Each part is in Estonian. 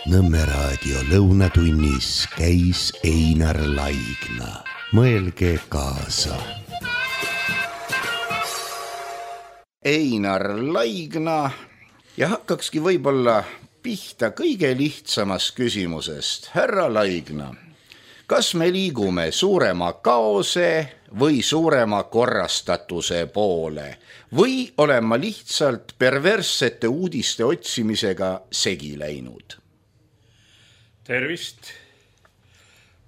Nõmme raadio lõunatunnis käis Einar Laigna. Mõelge kaasa. Einar Laigna ja hakkakski võib-olla pihta kõige lihtsamast küsimusest. Härra Laigna, kas me liigume suurema kaose või suurema korrastatuse poole või olen ma lihtsalt perverssete uudiste otsimisega segi läinud? Tervist!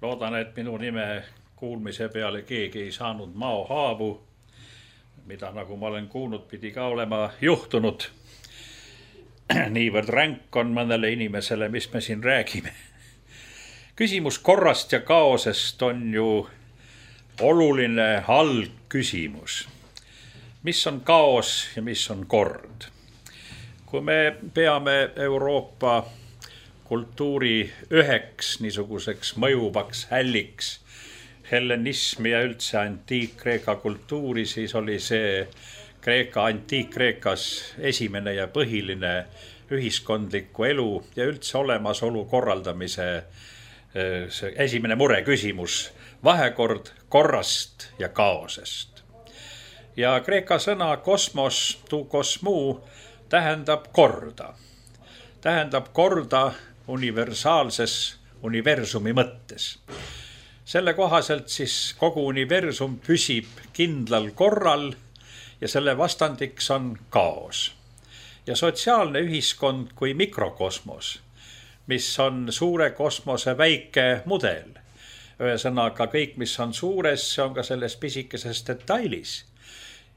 Loodan, et minu nime kuulmise peale keegi ei saanud maohaavu, mida nagu ma olen kuulnud, pidi ka olema juhtunud. Niivõrd ränk on mõnele inimesele, mis me siin räägime. Küsimus korrast ja kaosest on ju oluline algküsimus. Mis on kaos ja mis on kord? Kui me peame Euroopa kultuuri üheks niisuguseks mõjuvaks hälliks, hellenismi ja üldse antiik-Kreeka kultuuri, siis oli see antiik-Kreekas esimene ja põhiline ühiskondliku elu ja üldse olemasolu korraldamise esimene mureküsimus, vahekord korrast ja kaosest. Ja kreeka sõna kosmos, tu kosmuu, tähendab korda. Tähendab korda universaalses universumi mõttes. Selle kohaselt siis kogu universum püsib kindlal korral ja selle vastandiks on kaos. Ja sotsiaalne ühiskond kui mikrokosmos, mis on suure kosmose väike mudel. Ühesõnaga kõik, mis on suures, see on ka selles pisikeses detailis.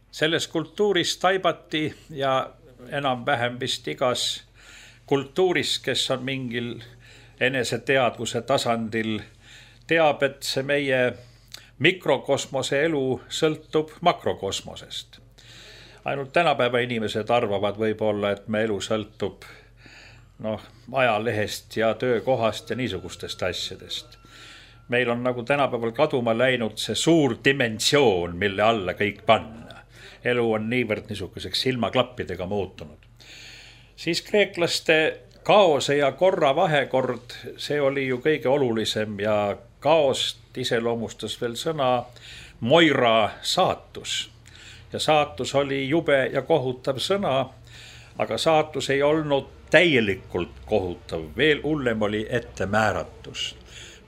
Selles kultuuris taibati ja enam-vähem vist igas kultuuris, kes on mingil eneseteadvuse tasandil, teab, et see meie mikrokosmose elu sõltub makrokosmosest. Ainult tänapäeva inimesed arvavad võib-olla, et me elu sõltub ajalehest ja töökohast ja niisugustest asjadest. Meil on nagu tänapäeval kaduma läinud see suur dimensioon, mille alla kõik panna. Elu on niivõrd niisuguseks silmaklappidega muutunud. Siis kreeklaste kaose ja korra vahekord, see oli ju kõige olulisem ja kaost iseloomustas veel sõna moira saatus. Ja saatus oli jube ja kohutav sõna, aga saatus ei olnud täielikult kohutav, veel hullem oli ettemääratus.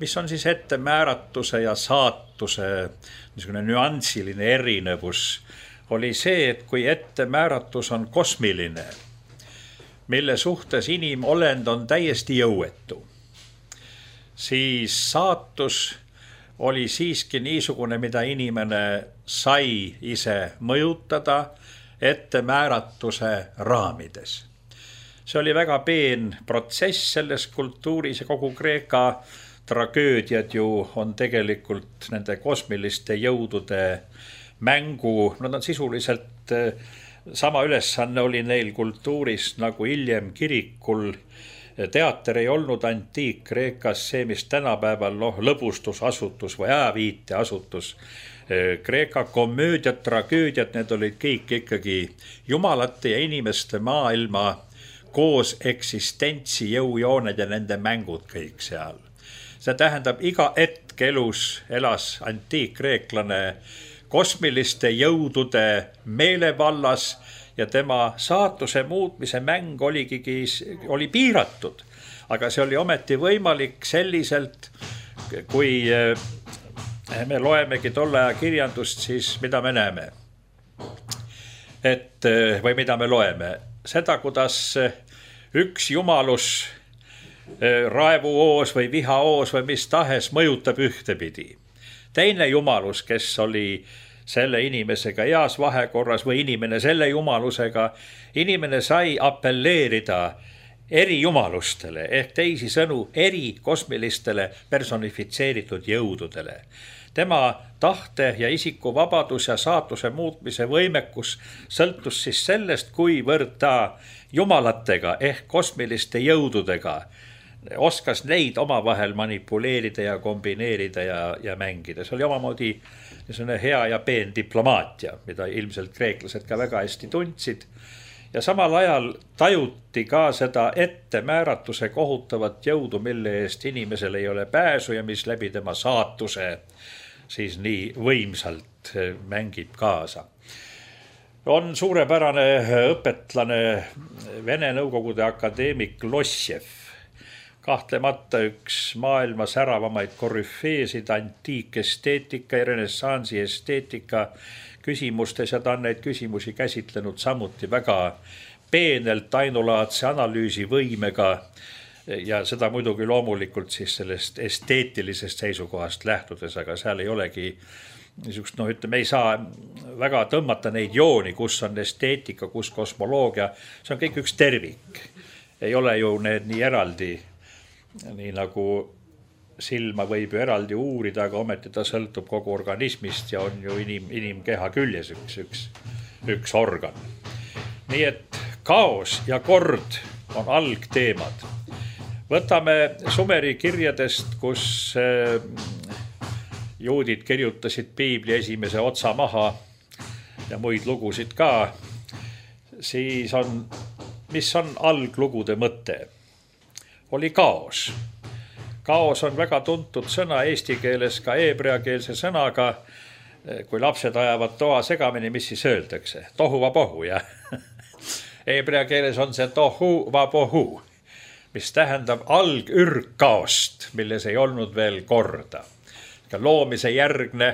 Mis on siis ettemääratuse ja saatuse niisugune nüansiline erinevus, oli see, et kui ettemääratus on kosmiline, mille suhtes inimolend on täiesti jõuetu, siis saatus oli siiski niisugune, mida inimene sai ise mõjutada ettemääratuse raamides. See oli väga peen protsess selles kultuuris ja kogu Kreeka tragöödiad ju on tegelikult nende kosmiliste jõudude mängu, nad on sisuliselt sama ülesanne oli neil kultuuris nagu hiljem kirikul. Teater ei olnud antiik-Kreekas see, mis tänapäeval lõbustusasutus või ajaviiteasutus. Kreeka komöödiad, tragöödiad, need olid kõik ikkagi jumalate ja inimeste maailma koos eksistentsi jõujooned ja nende mängud kõik seal. See tähendab, iga hetk elus elas antiik-kreeklane kosmiliste jõudude meelevallas ja tema saatuse muutmise mäng oli piiratud. Aga see oli ometi võimalik selliselt, kui me loemegi tolle aja kirjandust, siis mida me näeme? Või mida me loeme? Seda, kuidas üks jumalus, raevuoos või vihaoos või mis tahes mõjutab ühtepidi. Teine jumalus, kes oli selle inimesega heas vahekorras või inimene selle jumalusega, inimene sai appelleerida eri jumalustele ehk teisi sõnu eri kosmilistele personifitseeritud jõududele. Tema tahte ja isiku vabadus ja saatuse muutmise võimekus sõltus siis sellest, kuivõrd ta jumalatega ehk kosmiliste jõududega oskas neid omavahel manipuleerida ja kombineerida ja mängida. See oli omamoodi hea ja peen diplomaatia, mida ilmselt kreeklased ka väga hästi tundsid. ja samal ajal tajuti ka seda ettemääratuse kohutavat jõudu, mille eest inimesel ei ole pääsu ja mis läbi tema saatuse siis nii võimsalt mängib kaasa. On suurepärane õpetlane Vene Nõukogude akadeemik Lossjev, kahtlemata üks maailma säravamaid korüfeesid antiikesteetika ja renessansi esteetika küsimustes ja ta on neid küsimusi käsitlenud samuti väga peenelt, ainulaadse analüüsivõimega ja seda muidugi loomulikult siis sellest esteetilisest seisukohast lähtudes, aga seal ei olegi niisugust, ütleme, ei saa väga tõmmata neid jooni, kus on esteetika, kus kosmoloogia, see on kõik üks tervik. Ei ole ju need nii eraldi, nii nagu silma võib ju eraldi uurida, aga ometi ta sõltub kogu organismist ja on ju inimkeha küljes üks organ. Nii et kaos ja kord on algteemad. Võtame Sumeri kirjadest, kus juudid kirjutasid piibli esimese otsa maha ja muid lugusid ka, siis mis on alglugude mõte? Oli kaos. Kaos on väga tuntud sõna eesti keeles ka heebreakeelse sõnaga. Kui lapsed ajavad toa segamini, mis siis öeldakse? Tohu va pohu, jah. Heebrea keeles on see tohu va pohu, mis tähendab algürgkaost, milles ei olnud veel korda. Loomise järgne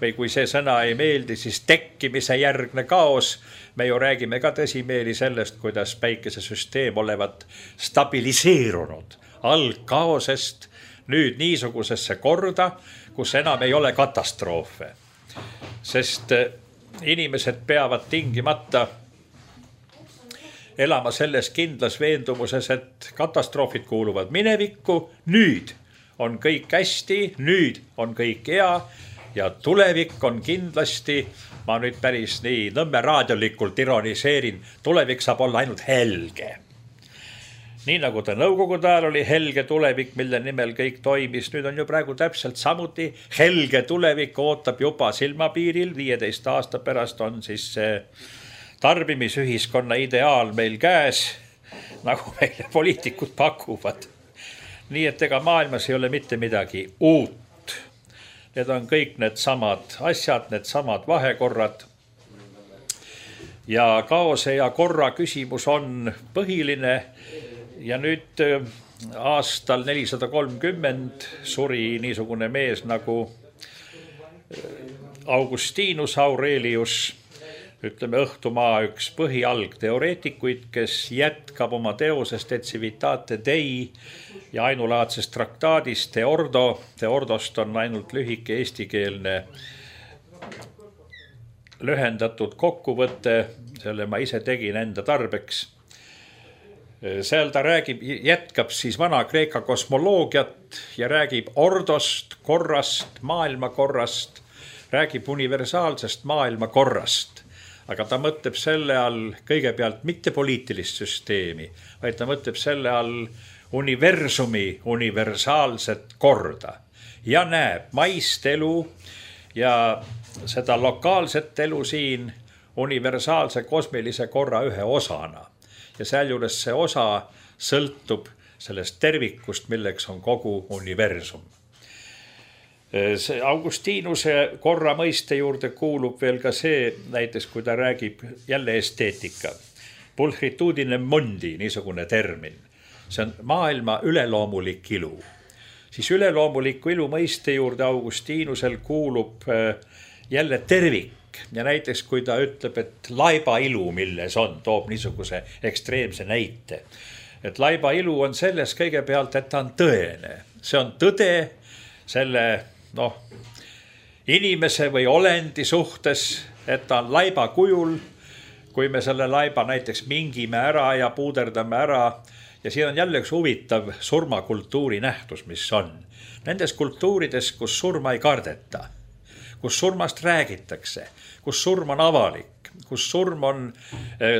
või kui see sõna ei meeldi, siis tekkimise järgne kaos. Me ju räägime ka tõsimeeli sellest, kuidas päikesesüsteem olevat stabiliseerunud algkaosest nüüd niisugusesse korda, kus enam ei ole katastroofe. Sest inimesed peavad tingimata elama selles kindlas veendumuses, et katastroofid kuuluvad minevikku, nüüd on kõik hästi, nüüd on kõik hea ja tulevik on kindlasti, ma nüüd päris nii Nõmme raadiolikult ironiseerin, tulevik saab olla ainult helge. Nii nagu ta Nõukogude ajal oli helge tulevik, mille nimel kõik toimis, nüüd on ju praegu täpselt samuti helge tulevik ootab juba silmapiiril, 15 aasta pärast on siis see tarbimisühiskonna ideaal meil käes, nagu meile poliitikud pakuvad. Nii et ega maailmas ei ole mitte midagi uut. Need on kõik need samad asjad, need samad vahekorrad. Ja kaose ja korra küsimus on põhiline ja nüüd aastal 430 suri niisugune mees nagu Augustinus Aurelius, ütleme õhtumaa üks põhialgteoreetikuid, kes jätkab oma teosest Et civitate Dei ja ainulaadsest traktaadist Teordo. Teordost on ainult lühike eestikeelne lühendatud kokkuvõte, selle ma ise tegin enda tarbeks. Seal ta jätkab siis vana-kreeka kosmoloogiat ja räägib ordost, korrast, maailmakorrast, räägib universaalsest maailmakorrast. Aga ta mõtleb selle all kõigepealt mitte poliitilist süsteemi, vaid ta mõtleb selle all universumi universaalset korda ja näeb maist elu ja seda lokaalset elu siin universaalse kosmilise korra ühe osana. Ja sealjuures see osa sõltub sellest tervikust, milleks on kogu universum. See Augustinuse korra mõiste juurde kuulub veel ka see, näiteks kui ta räägib jälle esteetika. Pulchritudine mondi, niisugune termin. See on maailma üleloomulik ilu. Siis üleloomuliku ilu mõiste juurde Augustinusel kuulub jälle tervik. Ja näiteks kui ta ütleb, et laiba ilu, milles on, toob niisuguse ekstreemse näite. Et laiba ilu on selles kõigepealt, et ta on tõene. See on tõde selle inimese või olendi suhtes, et ta on laiba kujul, kui me selle laiba näiteks mingime ära ja puuderdame ära. Ja siin on jälle üks huvitav surmakultuuri nähtus, mis on. Nendes kultuurides, kus surma ei kardeta, kus surmast räägitakse, kus surm on avalik, kus surm on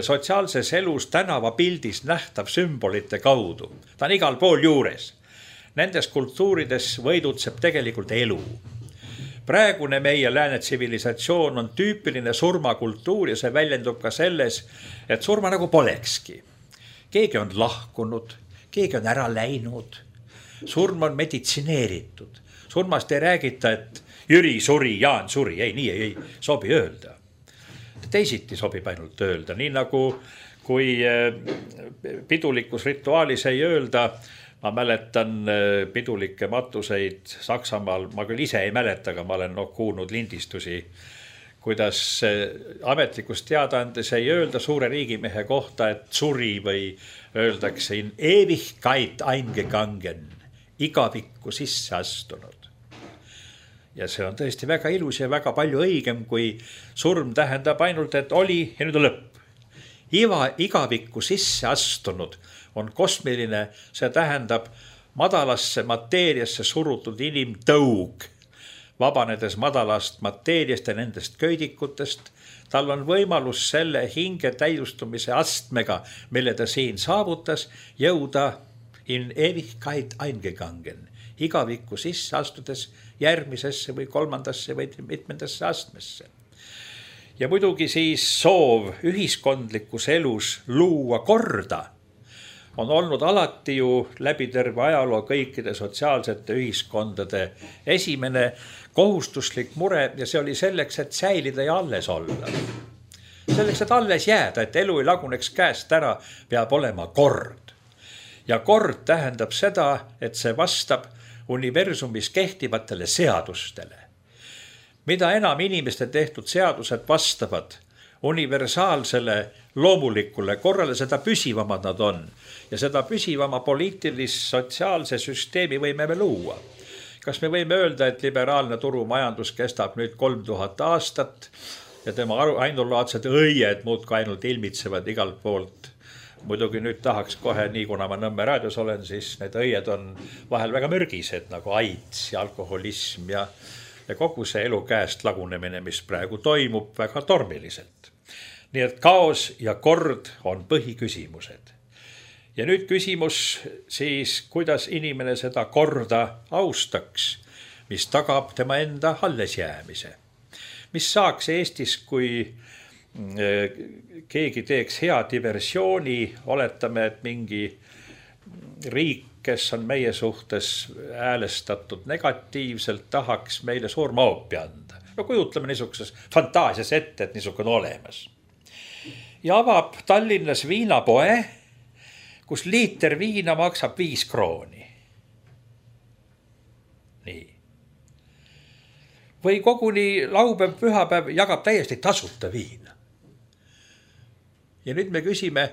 sotsiaalses elus tänavapildis nähtav sümbolite kaudu. Ta on igal pool juures. Nendes kultuurides võidutseb tegelikult elu. Praegune meie lääne tsivilisatsioon on tüüpiline surmakultuur ja see väljendub ka selles, et surma nagu polekski. Keegi on lahkunud, keegi on ära läinud, surm on meditsineeritud. Surmast ei räägita, et Jüri suri, Jaan suri, nii ei sobi öelda. Teisiti sobib ainult öelda, nii nagu kui pidulikus rituaalis ei öelda. Ma mäletan pidulikke matuseid Saksamaal, ma küll ise ei mäleta, aga ma olen kuulnud lindistusi, kuidas ametlikus teadaandes ei öelda suure riigimehe kohta, et suri või öeldakse in Ewigkeit eingegangen, igavikku sisse astunud. Ja see on tõesti väga ilus ja väga palju õigem, kui surm tähendab ainult, et oli ja nüüd on lõpp. Igavikku sisse astunud on kosmiline, see tähendab madalasse mateeriasse surutud inimtõug. Vabanedes madalast mateeriast ja nendest köidikutest, tal on võimalus selle hinge täiustumise astmega, mille ta siin saavutas, jõuda in Ewigkeit eingegangen, igavikku sisse astudes järgmisesse või kolmandasse või mitmendasse astmesse. Ja muidugi siis soov ühiskondlikus elus luua korda on olnud alati ju läbi terve ajaloo kõikide sotsiaalsete ühiskondade esimene kohustuslik mure ja see oli selleks, et säilida ja alles olla. Selleks, et alles jääda, et elu ei laguneks käest ära, peab olema kord. Ja kord tähendab seda, et see vastab universumis kehtivatele seadustele. Mida enam inimeste tehtud seadused vastavad universaalsele loomulikule korrale, seda püsivamad nad on. Ja seda püsivama poliitilis-sotsiaalse süsteemi võime me luua. Kas me võime öelda, et liberaalne turumajandus kestab nüüd 3000 aastat ja tema ainulaadsed õied muudkui ainult ilmitsevad igalt poolt. Muidugi nüüd tahaks kohe, nii kuna ma Nõmme raadios olen, siis need õied on vahel väga mürgised, nagu AIDS ja alkoholism ja kogu see elu käest lagunemine, mis praegu toimub väga tormiliselt. Nii et kaos ja kord on põhiküsimused. Ja nüüd küsimus siis, kuidas inimene seda korda austaks, mis tagab tema enda alles jäämise. Mis saaks Eestis, kui keegi teeks hea diversiooni, oletame, et mingi riik, kes on meie suhtes häälestatud negatiivselt, tahaks meile surma hoopi anda. No kujutleme niisuguses fantaasias ette, et niisugune olemas. Ja avab Tallinnas viinapoe, kus liiter viina maksab 5 krooni. Nii. Või koguni laupäev, pühapäev jagab täiesti tasuta viina. Ja nüüd me küsime,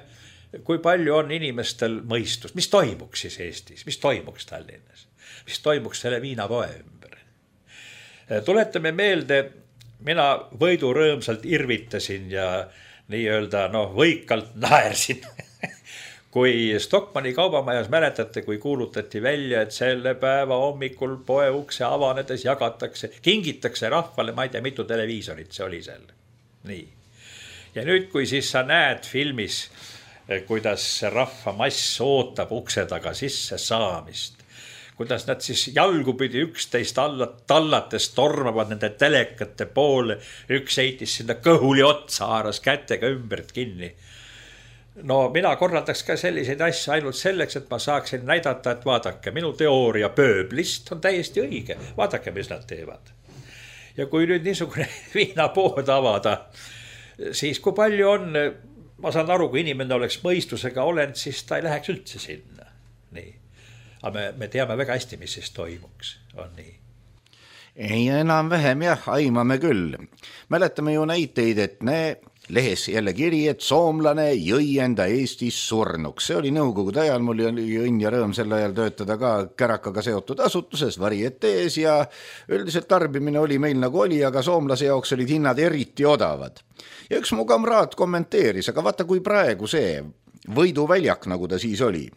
kui palju on inimestel mõistust, mis toimuks siis Eestis, mis toimuks Tallinnas, mis toimuks selle viinapoe ümber. Tuletame meelde, mina võidurõõmsalt irvitasin ja nii-öelda võikalt naersin. Kui Stockmanni kaubamajas mäletate, kui kuulutati välja, et selle päeva hommikul poe ukse avanedes jagatakse, kingitakse rahvale, ma ei tea, mitu televiisorit see oli seal. Nii. Ja nüüd, kui siis sa näed filmis, kuidas see rahvamass ootab ukse taga sisse saamist, kuidas nad siis jalgupidi üksteist tallates tormavad nende telekate poole, üks heitis sinna kõhuli otsa, haaras kätega ümbert kinni. No mina korraldaks ka selliseid asju ainult selleks, et ma saaksin näidata, et vaadake, minu teooria pööblist on täiesti õige. Vaadake, mis nad teevad. Ja kui nüüd niisugune viinapood avada, siis kui palju on, ma saan aru, kui inimene oleks mõistusega olend, siis ta ei läheks üldse sinna. Nii. Aga me teame väga hästi, mis siis toimuks. On nii. Ei enam vähem jah, aimame küll. Mäletame ju näiteid, et lehes jälle kiri, et soomlane jõi enda Eestis surnuks. See oli nõukogude ajal, mul oli õnn ja rõõm sel ajal töötada ka Kärakaga seotud asutuses, Varietees ja üldiselt tarbimine oli meil nagu oli, aga soomlase jaoks olid hinnad eriti odavad. Ja üks mu kamraad kommenteeris, aga vaata kui praegu see võiduväljak, nagu ta siis oli.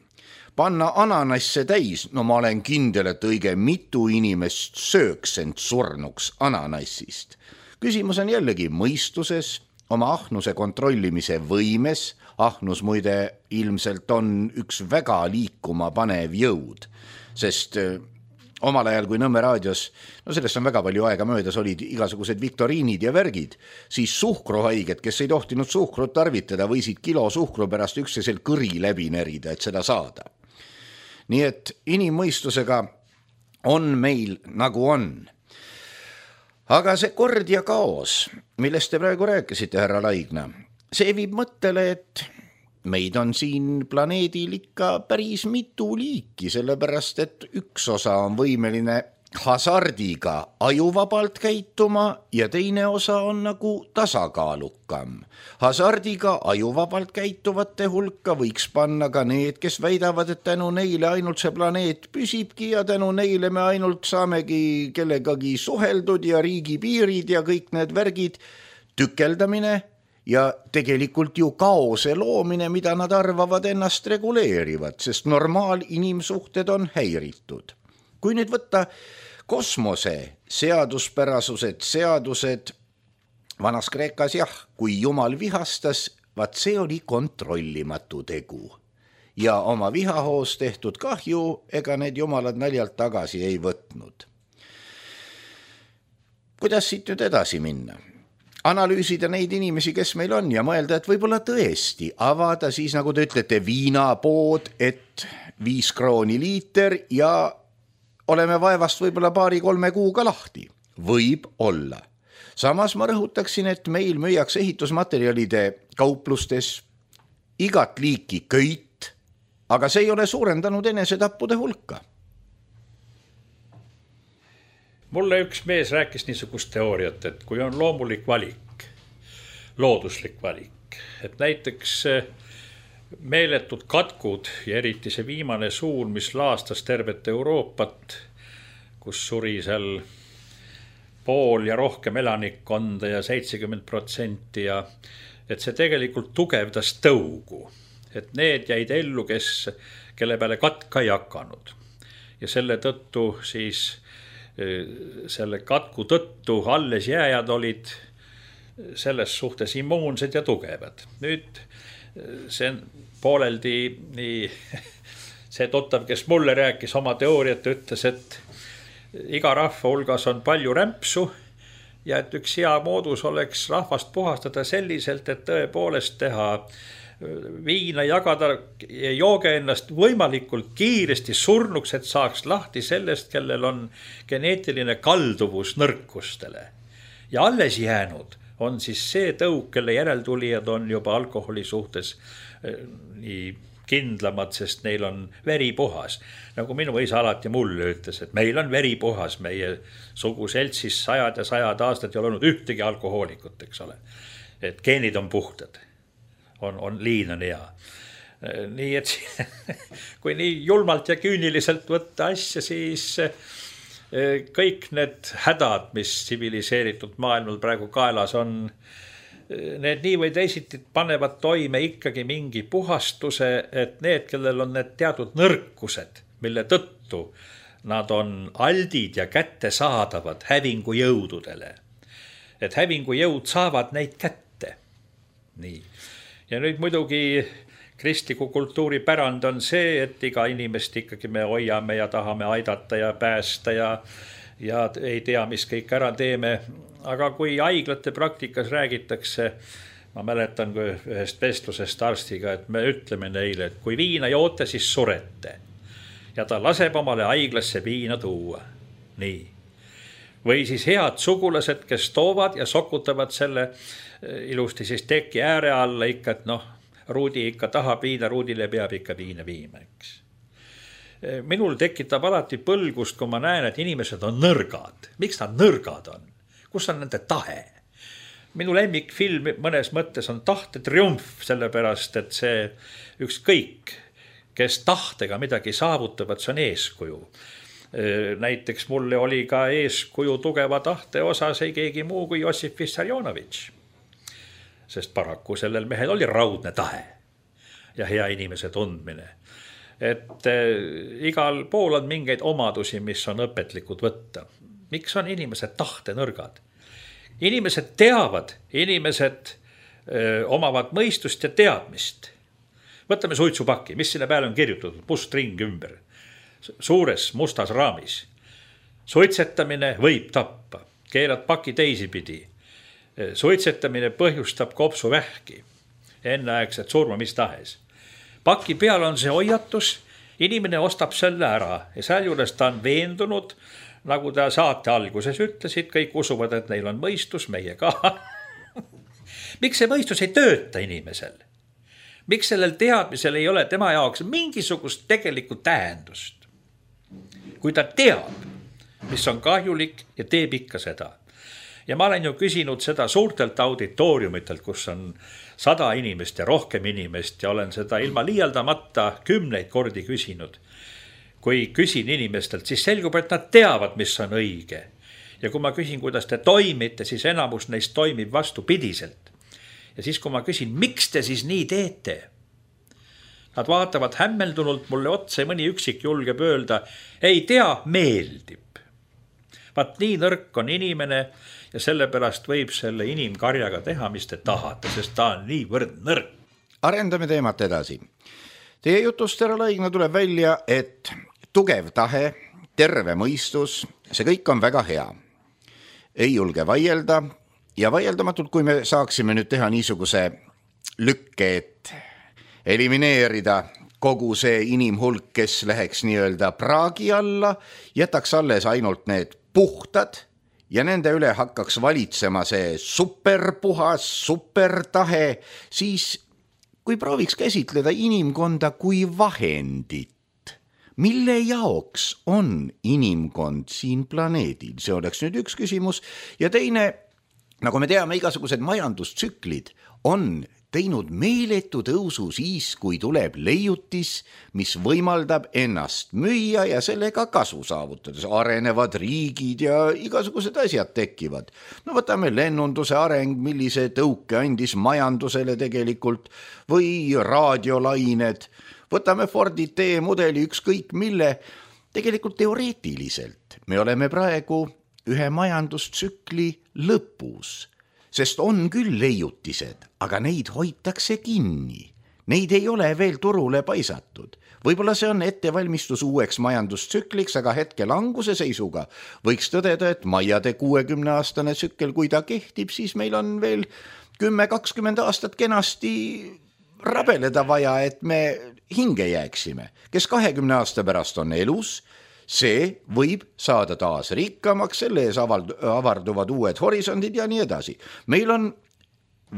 Panna ananasse täis, no ma olen kindel, et õige mitu inimest sööks end surnuks ananassist. Küsimus on jällegi mõistuses, oma ahnuse kontrollimise võimes. Ahnus muide ilmselt on üks väga liikuma panev jõud, sest omal ajal, kui Nõmme raadios, no sellest on väga palju aega möödas, olid igasugused viktoriinid ja värgid, siis suhkruhaiged, kes ei tohtinud suhkrut tarvitada, võisid kilo suhkru pärast üksteisel kõri läbi närida, et seda saada. Nii et inimmõistusega on meil nagu on. Aga see kord ja kaos, millest te praegu rääkisite, härra Laigna, see viib mõttele, et meid on siin planeedil ikka päris mitu liiki, sellepärast et üks osa on võimeline hasardiga ajuvabalt käituma ja teine osa on nagu tasakaalukam. Hasardiga ajuvabalt käituvate hulka võiks panna ka need, kes väidavad, et tänu neile ainult see planeet püsibki ja tänu neile me ainult saamegi kellegagi suheldud ja riigipiirid ja kõik need värgid, tükeldamine ja tegelikult ju kaose loomine, mida nad arvavad ennast reguleerivad, sest inimsuhted on häiritud. Kui nüüd võtta kosmose seaduspärasused, seadused, vanas Kreekas jah, kui Jumal vihastas, vaat see oli kontrollimatu tegu. Ja oma vihahoos tehtud kahju, ega need jumalad naljalt tagasi ei võtnud. Kuidas siit nüüd edasi minna? Analüüsida neid inimesi, kes meil on ja mõelda, et võib-olla tõesti avada siis, nagu te ütlete, viinapood, et 5 krooni liiter ja oleme vaevast võib-olla 2-3 kuuga lahti. Võib olla. Samas ma rõhutaksin, et meil müüakse ehitusmaterjalide kauplustes igat liiki köit, aga see ei ole suurendanud enesetappude hulka. Mulle üks mees rääkis niisugust teooriat, et kui on loomulik valik, looduslik valik, et näiteks meeletud katkud ja eriti see viimane suun, mis laastas tervet Euroopat, kus suri seal pool ja rohkem elanikkonda ja 70% ja et see tegelikult tugevdas tõugu, et need jäid ellu, kelle peale katka ei hakanud ja selle tõttu siis selle katku tõttu alles jääjad olid selles suhtes immuunsed ja tugevad. Nüüd see pooleldi nii see tuttav, kes mulle rääkis oma teooriat, ütles, et iga rahva hulgas on palju rämpsu ja et üks hea moodus oleks rahvast puhastada selliselt, et tõepoolest teha viina, jagada ja jooge ennast võimalikult kiiresti surnuks, et saaks lahti sellest, kellel on geneetiline kalduvus nõrkustele. Ja alles jäänud on siis see tõug, kelle järeltulijad on juba alkoholi suhtes nii kindlamad, sest neil on veri puhas. Nagu minu isa alati mulle ütles, et meil on veri puhas, meie suguseltsis 100 ja 100 aastat ei ole olnud ühtegi alkohoolikut, eks ole. Et geenid on puhtad. On liin on hea. Nii et kui nii julmalt ja küüniliselt võtta asja, siis kõik need hädad, mis tsiviliseeritud maailmal praegu kaelas on, need nii või teisiti panevad toime ikkagi mingi puhastuse, et need, kellel on need teatud nõrkused, mille tõttu nad on aldid ja kättesaadavad hävingujõududele. Et hävingujõud saavad neid kätte. Nii. Ja nüüd muidugi kristliku kultuuri pärand on see, et iga inimest ikkagi me hoiame ja tahame aidata ja päästa ja ei tea, mis kõik ära teeme. Aga kui haiglate praktikas räägitakse, ma mäletan ühest vestlusest arstiga, et me ütleme neile, et kui viina joote, siis surete. Ja ta laseb omale haiglasse viina tuua. Nii. Või siis head sugulased, kes toovad ja sokutavad selle ilusti siis teki ääre alla ikka, et Ruudi ikka tahab viina, Ruudile peab ikka viina viima, eks. Minul tekitab alati põlgust, kui ma näen, et inimesed on nõrgad. Miks nad nõrgad on? Kus on nende tahe? Minu lemmikfilm mõnes mõttes on Tahte triumf, sellepärast, et see ükskõik, kes tahtega midagi saavutavad, see on eeskuju. Näiteks mulle oli ka eeskuju tugeva tahte osas ei keegi muu kui Jossif Vissarionovitš. Sest paraku sellel mehel oli raudne tahe ja hea inimese tundmine. Et igal pool on mingeid omadusi, mis on õpetlikud võtta. Miks on inimesed tahte-nõrgad? Inimesed teavad, inimesed omavad mõistust ja teadmist. Võtame suitsupaki, mis sinne peale on kirjutatud, must ring ümber, suures mustas raamis. Suitsetamine võib tappa, keerad paki teisipidi. Suitsetamine põhjustab kopsuvähki, enneaegset surma mis tahes. Paki peal on see hoiatus, inimene ostab selle ära ja sealjuures ta on veendunud, nagu ta saate alguses ütlesid, kõik usuvad, et neil on mõistus, meie ka. Miks see mõistus ei tööta inimesel? Miks sellel teadmisel ei ole tema jaoks mingisugust tegelikku tähendust? Kui ta teab, mis on kahjulik ja teeb ikka seda. Ja ma olen ju küsinud seda suurtelt auditooriumitelt, kus on 100 inimest ja rohkem inimest ja olen seda ilma liialdamata 10 kordi küsinud. Kui küsin inimestelt, siis selgub, et nad teavad, mis on õige. Ja kui ma küsin, kuidas te toimite, siis enamus neist toimib vastupidiselt. Ja siis, kui ma küsin, miks te siis nii teete? Nad vaatavad hämmeldunult mulle otse, mõni üksik julgeb öelda, ei tea, meeldib. Vaat nii nõrk on inimene ja sellepärast võib selle inimkarjaga teha, mis te tahate, sest ta on niivõrd nõrk. Arendame teemat edasi. Teie jutust, härra Laigna, tuleb välja, et tugev tahe, terve mõistus, see kõik on väga hea. Ei julge vaielda ja vaieldamatult, kui me saaksime nüüd teha niisuguse lükke, et elimineerida kogu see inimhulk, kes läheks nii-öelda praagi alla, jätaks alles ainult need puhtad ja nende üle hakkaks valitsema see superpuhas, supertahe, siis kui prooviks käsitleda inimkonda kui vahendit, mille jaoks on inimkond siin planeedil? See oleks nüüd üks küsimus. Ja teine, nagu me teame, igasugused majandustsüklid on teinud meeletu tõusu siis, kui tuleb leiutis, mis võimaldab ennast müüa ja sellega kasu saavutades. Arenevad riigid ja igasugused asjad tekivad. No võtame lennunduse areng, millise tõuke andis majandusele tegelikult, või raadiolained. Võtame Fordi T-mudeli ükskõik mille. Tegelikult teoreetiliselt me oleme praegu ühe majandustsükli lõpus. Sest on küll leiutised, aga neid hoitakse kinni. Neid ei ole veel turule paisatud. Võib-olla see on ettevalmistus uueks majandustsükliks, aga hetke languse seisuga võiks tõdeda, et Maiade 60-aastane tsükkel, kui ta kehtib, siis meil on veel 10-20 aastat kenasti rabeleda vaja, et me hinge jääksime. Kes 20 aasta pärast on elus, see võib saada taas rikkamaks, selle ees avarduvad uued horisondid ja nii edasi. Meil on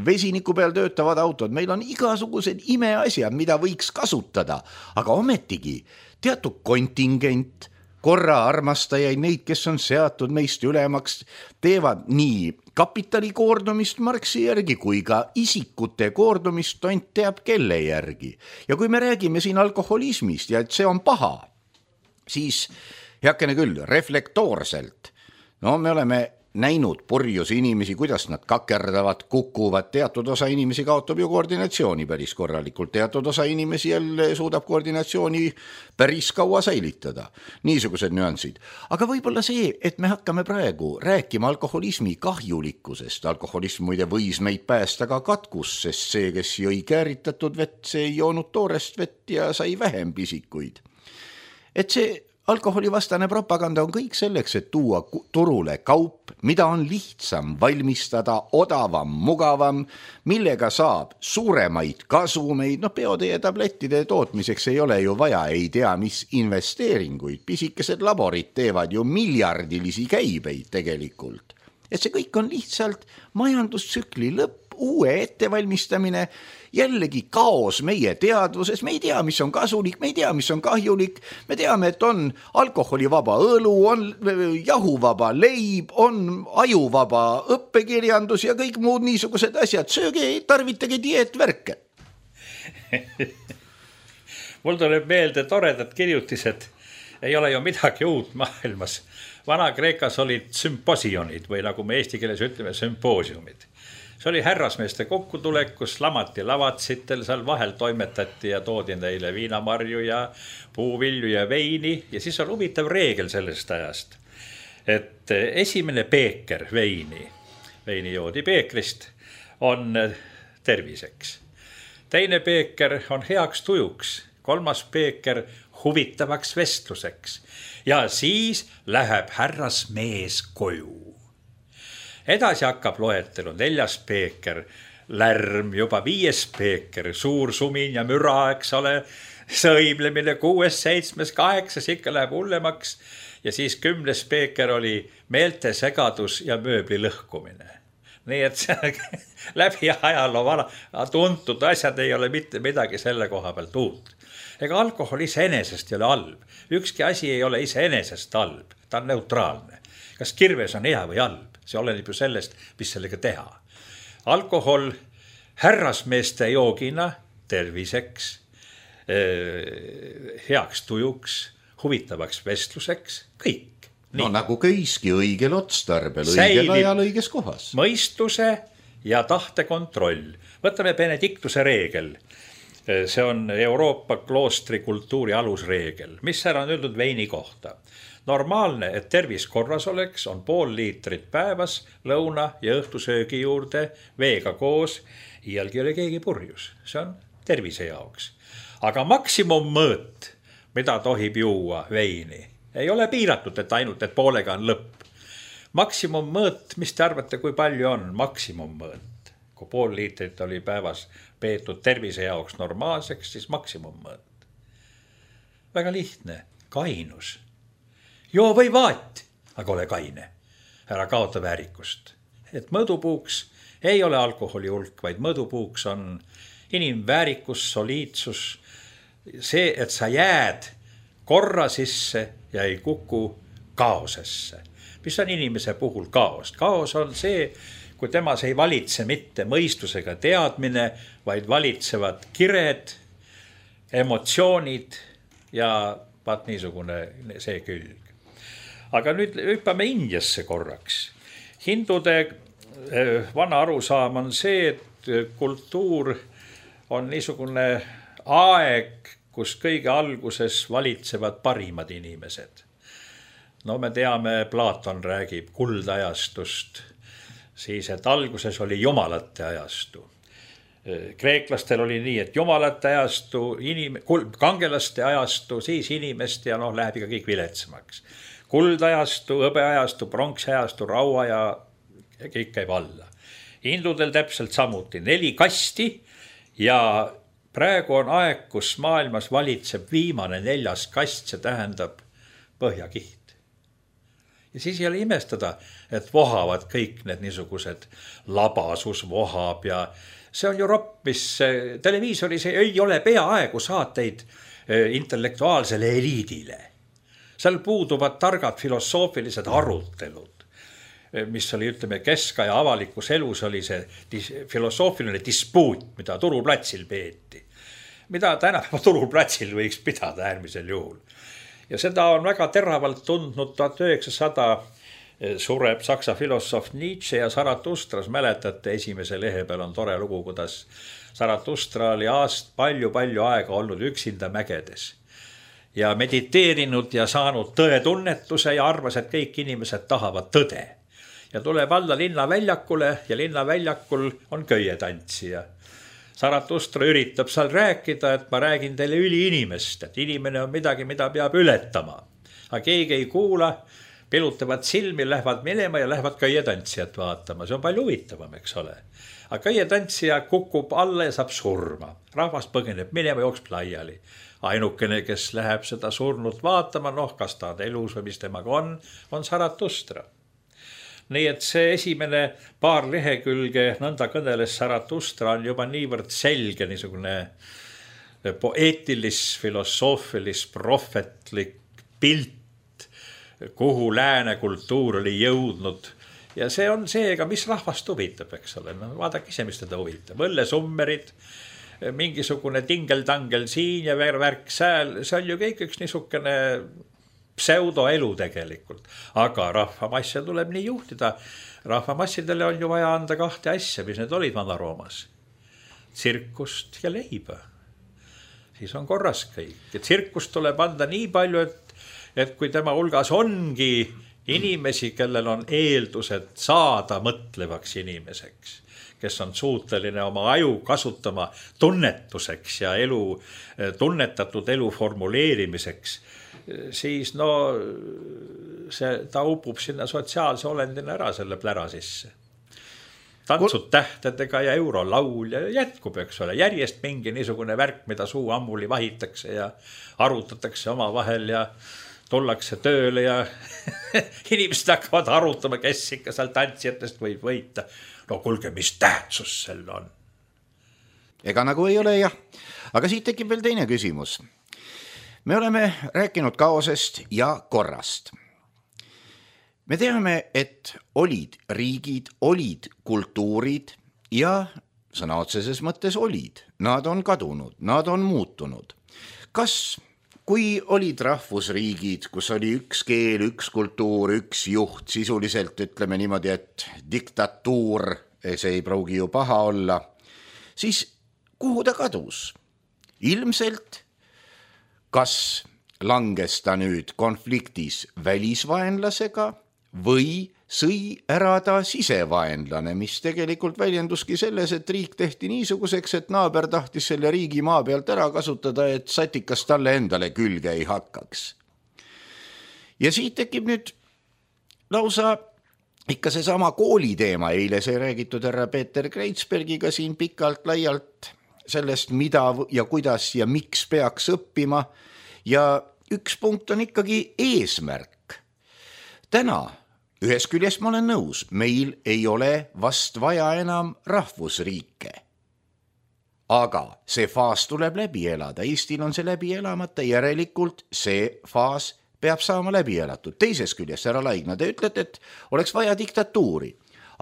vesiniku peal töötavad autod, meil on igasugused imeasjad, mida võiks kasutada, aga ometigi teatud kontingent, korra armastajaid, neid, kes on seatud meist ülemaks, teevad nii kapitali koordumist Marxi järgi kui ka isikute koordumist tont teab kelle järgi. Ja kui me räägime siin alkoholismist ja et see on paha, siis heakene küll, reflektoorselt. No me oleme näinud purjus inimesi, kuidas nad kakerdavad, kukuvad, teatud osa inimesi kaotab ju koordinatsiooni päris korralikult, teatud osa inimesi jälle suudab koordinatsiooni päris kaua säilitada. Niisugused nüansid. Aga võib-olla see, et me hakkame praegu rääkima alkoholismi kahjulikkusest. Alkoholism muide võis meid päästa ka katkus, sest see, kes jõi kääritatud vett, see ei joonud toorest vett ja sai vähem pisikuid. Et see alkoholivastane propaganda on kõik selleks, et tuua turule kaup, mida on lihtsam valmistada, odavam, mugavam, millega saab suuremaid kasumeid. No peoteie tablettide tootmiseks ei ole ju vaja, ei tea mis investeeringuid. Pisikesed laborid teevad ju miljardilisi käibeid tegelikult. Et see kõik on lihtsalt majandustsükli lõpp, uue ettevalmistamine, jällegi kaos meie teadvuses, me ei tea, mis on kasulik, me ei tea, mis on kahjulik, me teame, et on alkoholivaba õlu, on jahuvaba leib, on ajuvaba õppekirjandus ja kõik muud niisugused asjad, sööge, tarvitage dieetvärke. Mul tuleb meelde toredad kirjutised, ei ole ju midagi uut maailmas. Vana-Kreekas olid sümposionid või nagu me eesti keeles ütleme, sümpoosiumid. See oli härrasmeeste kokkutulek, kus lamati lavatsitel, seal vahel toimetati ja toodi neile viinamarju ja puuvilju ja veini. Ja siis on huvitav reegel sellest ajast, et esimene peeker veini joodi peekrist, on terviseks. Teine peeker on heaks tujuks, 3. peeker huvitavaks vestluseks ja siis läheb härrasmees koju. Edasi hakkab loetelu 4. peeker, lärm, juba 5. peeker, suur sumin ja müra, eks ole, sõimlemine 6., 7., 8. ikka läheb hullemaks ja siis 10. peeker oli meeltesegadus ja mööbli lõhkumine. Nii et see läbi ajaloo tuntud asjad ei ole mitte midagi selle koha pealt uut. Ega alkohol iseenesest ei ole halb. Ükski asi ei ole iseenesest halb. Ta on neutraalne. Kas kirves on hea või halb? See oleneb ju sellest, mis sellega teha. Alkohol härrasmeeste joogina terviseks, heaks tujuks, huvitavaks vestluseks, kõik. No nagu kõiski õigel otstarbel, õigel ajal, õiges kohas. Mõistuse ja tahtekontroll. Võtame Benediktuse reegel. See on Euroopa kloostri kultuuri alusreegel, mis ära on öeldud veini kohta. Normaalne, et tervis korras oleks, on 0,5 liitrit päevas lõuna ja õhtusöögi juurde veega koos. Iialgi ei ole keegi purjus. See on tervise jaoks. Aga maksimummõõt, mida tohib juua veini, ei ole piiratud, et ainult, et poolega on lõpp. Maksimummõõt, mis te arvate, kui palju on maksimummõõt? Kui 0,5 liitrit oli päevas peetud tervise jaoks normaalseks, siis maksimummõõt. Väga lihtne, kainus. Joo või vaat, aga ole kaine. Ära kaota väärikust. Et mõõdupuuks ei ole alkoholi hulk, vaid mõõdupuuks on inimväärikus, soliidsus. See, et sa jääd korra sisse ja ei kuku kaosesse. Mis on inimese puhul kaos? Kaos on see, kui temas ei valitse mitte mõistusega teadmine, vaid valitsevad kired, emotsioonid ja vaat niisugune see külg. Aga nüüd hüppame Indiasse korraks. Hindude vana arusaam on see, et kultuur on niisugune aeg, kus kõige alguses valitsevad parimad inimesed. No me teame, Platon räägib kuldajastust, siis et alguses oli jumalate ajastu. Kreeklastel oli nii, et jumalate ajastu, kangelaste ajastu, siis inimeste ja läheb ikka kõik viletsemaks. Kuldajastu, hõbeajastu, pronksajastu, raua ja kõik käib alla. Hindudel täpselt samuti 4 kasti ja praegu on aeg, kus maailmas valitseb viimane 4. kast, see tähendab põhjakiht. Ja siis ei ole imestada, et vohavad kõik need niisugused labasus vohab ja see on ju ropp, mis televiisoris ei ole peaaegu saateid intellektuaalsele eliidile. Seal puuduvad targad filosoofilised arutelud, mis oli, ütleme, keskaja avalikus elus oli see filosoofiline dispuut, mida turuplatsil peeti. Mida tänapäeva turuplatsil võiks pidada äärmisel juhul. Ja seda on väga teravalt tundnud 1900 sureb saksa filosoof Nietzsche ja Zarathustras, mäletate, esimese lehe peal on tore lugu, kuidas Zarathustra oli palju aega olnud üksinda mägedes ja mediteerinud ja saanud tõetunnetuse ja arvas, et kõik inimesed tahavad tõde. Ja tuleb alla linnaväljakule ja linnaväljakul on köietantsija. Zarathustra üritab seal rääkida, et ma räägin teile üliinimest, et inimene on midagi, mida peab ületama. Aga keegi ei kuula, pilutavad silmi, lähevad minema ja lähevad köietantsijat vaatama. See on palju huvitavam, eks ole. Aga köietantsija kukub alla ja saab surma. Rahvas põgeneb minema, jookseb laiali. Ainukene, kes läheb seda surnut vaatama, kas ta on elus või mis temaga on Zarathustra. Nii et see esimene paar lehekülge nõnda kõneles Zarathustra on juba niivõrd selge niisugune poeetilis, filosoofilis, prohvetlik pilt, kuhu lääne kultuur oli jõudnud. Ja see on seega, mis rahvast huvitab, eks ole. No, vaadake ise, mis teda huvitab. Õllesummerid, mingisugune tingeldangel siin ja värk sääl, see on ju kõik üks niisugune pseudoelu tegelikult. Aga rahvamasse tuleb nii juhtida. Rahvamassidele on ju vaja anda 2 asja, mis need olid Vana-Roomas. Tsirkust ja leiba. Siis on korras kõik. Ja tsirkust tuleb anda nii palju, et kui tema hulgas ongi inimesi, kellel on eeldused saada mõtlevaks inimeseks, kes on suuteline oma aju kasutama tunnetuseks ja tunnetatud elu formuleerimiseks, siis ta upub sinna sotsiaalse olendina ära selle plära sisse. Tantsud tähtedega ja eurolaul ja jätkub, eks ole, järjest mingi niisugune värk, mida suu ammuli vahitakse ja arutatakse oma vahel ja tullakse tööle ja inimesed hakkavad arutama, kes ikka seal tantsijatest võib võita. No kuulge, mis tähtsus sel on? Ega nagu ei ole jah, aga siit tekib veel teine küsimus. Me oleme rääkinud kaosest ja korrast. Me teame, et olid riigid, olid kultuurid ja sõna otseses mõttes olid. Nad on kadunud, nad on muutunud. Kas kui olid rahvusriigid, kus oli üks keel, üks kultuur, üks juht, sisuliselt ütleme niimoodi, et diktatuur, see ei pruugi ju paha olla, siis kuhu ta kadus? Ilmselt, kas langes ta nüüd konfliktis välisvaenlasega või sõi ära ta sisevaenlane, mis tegelikult väljenduski selles, et riik tehti niisuguseks, et naaber tahtis selle riigi maa pealt ära kasutada, et satikas talle endale külge ei hakkaks. Ja siit tekib nüüd lausa ikka seesama kooliteema, eile sai räägitud härra Peeter Kreitsbergiga siin pikalt laialt sellest, mida ja kuidas ja miks peaks õppima ja üks punkt on ikkagi eesmärk. Täna ühes küljest ma olen nõus, meil ei ole vast vaja enam rahvusriike. Aga see faas tuleb läbi elada, Eestil on see läbi elamata, järelikult see faas peab saama läbi elatud. Teises küljest, härra Laigna, te ütlete, et oleks vaja diktatuuri.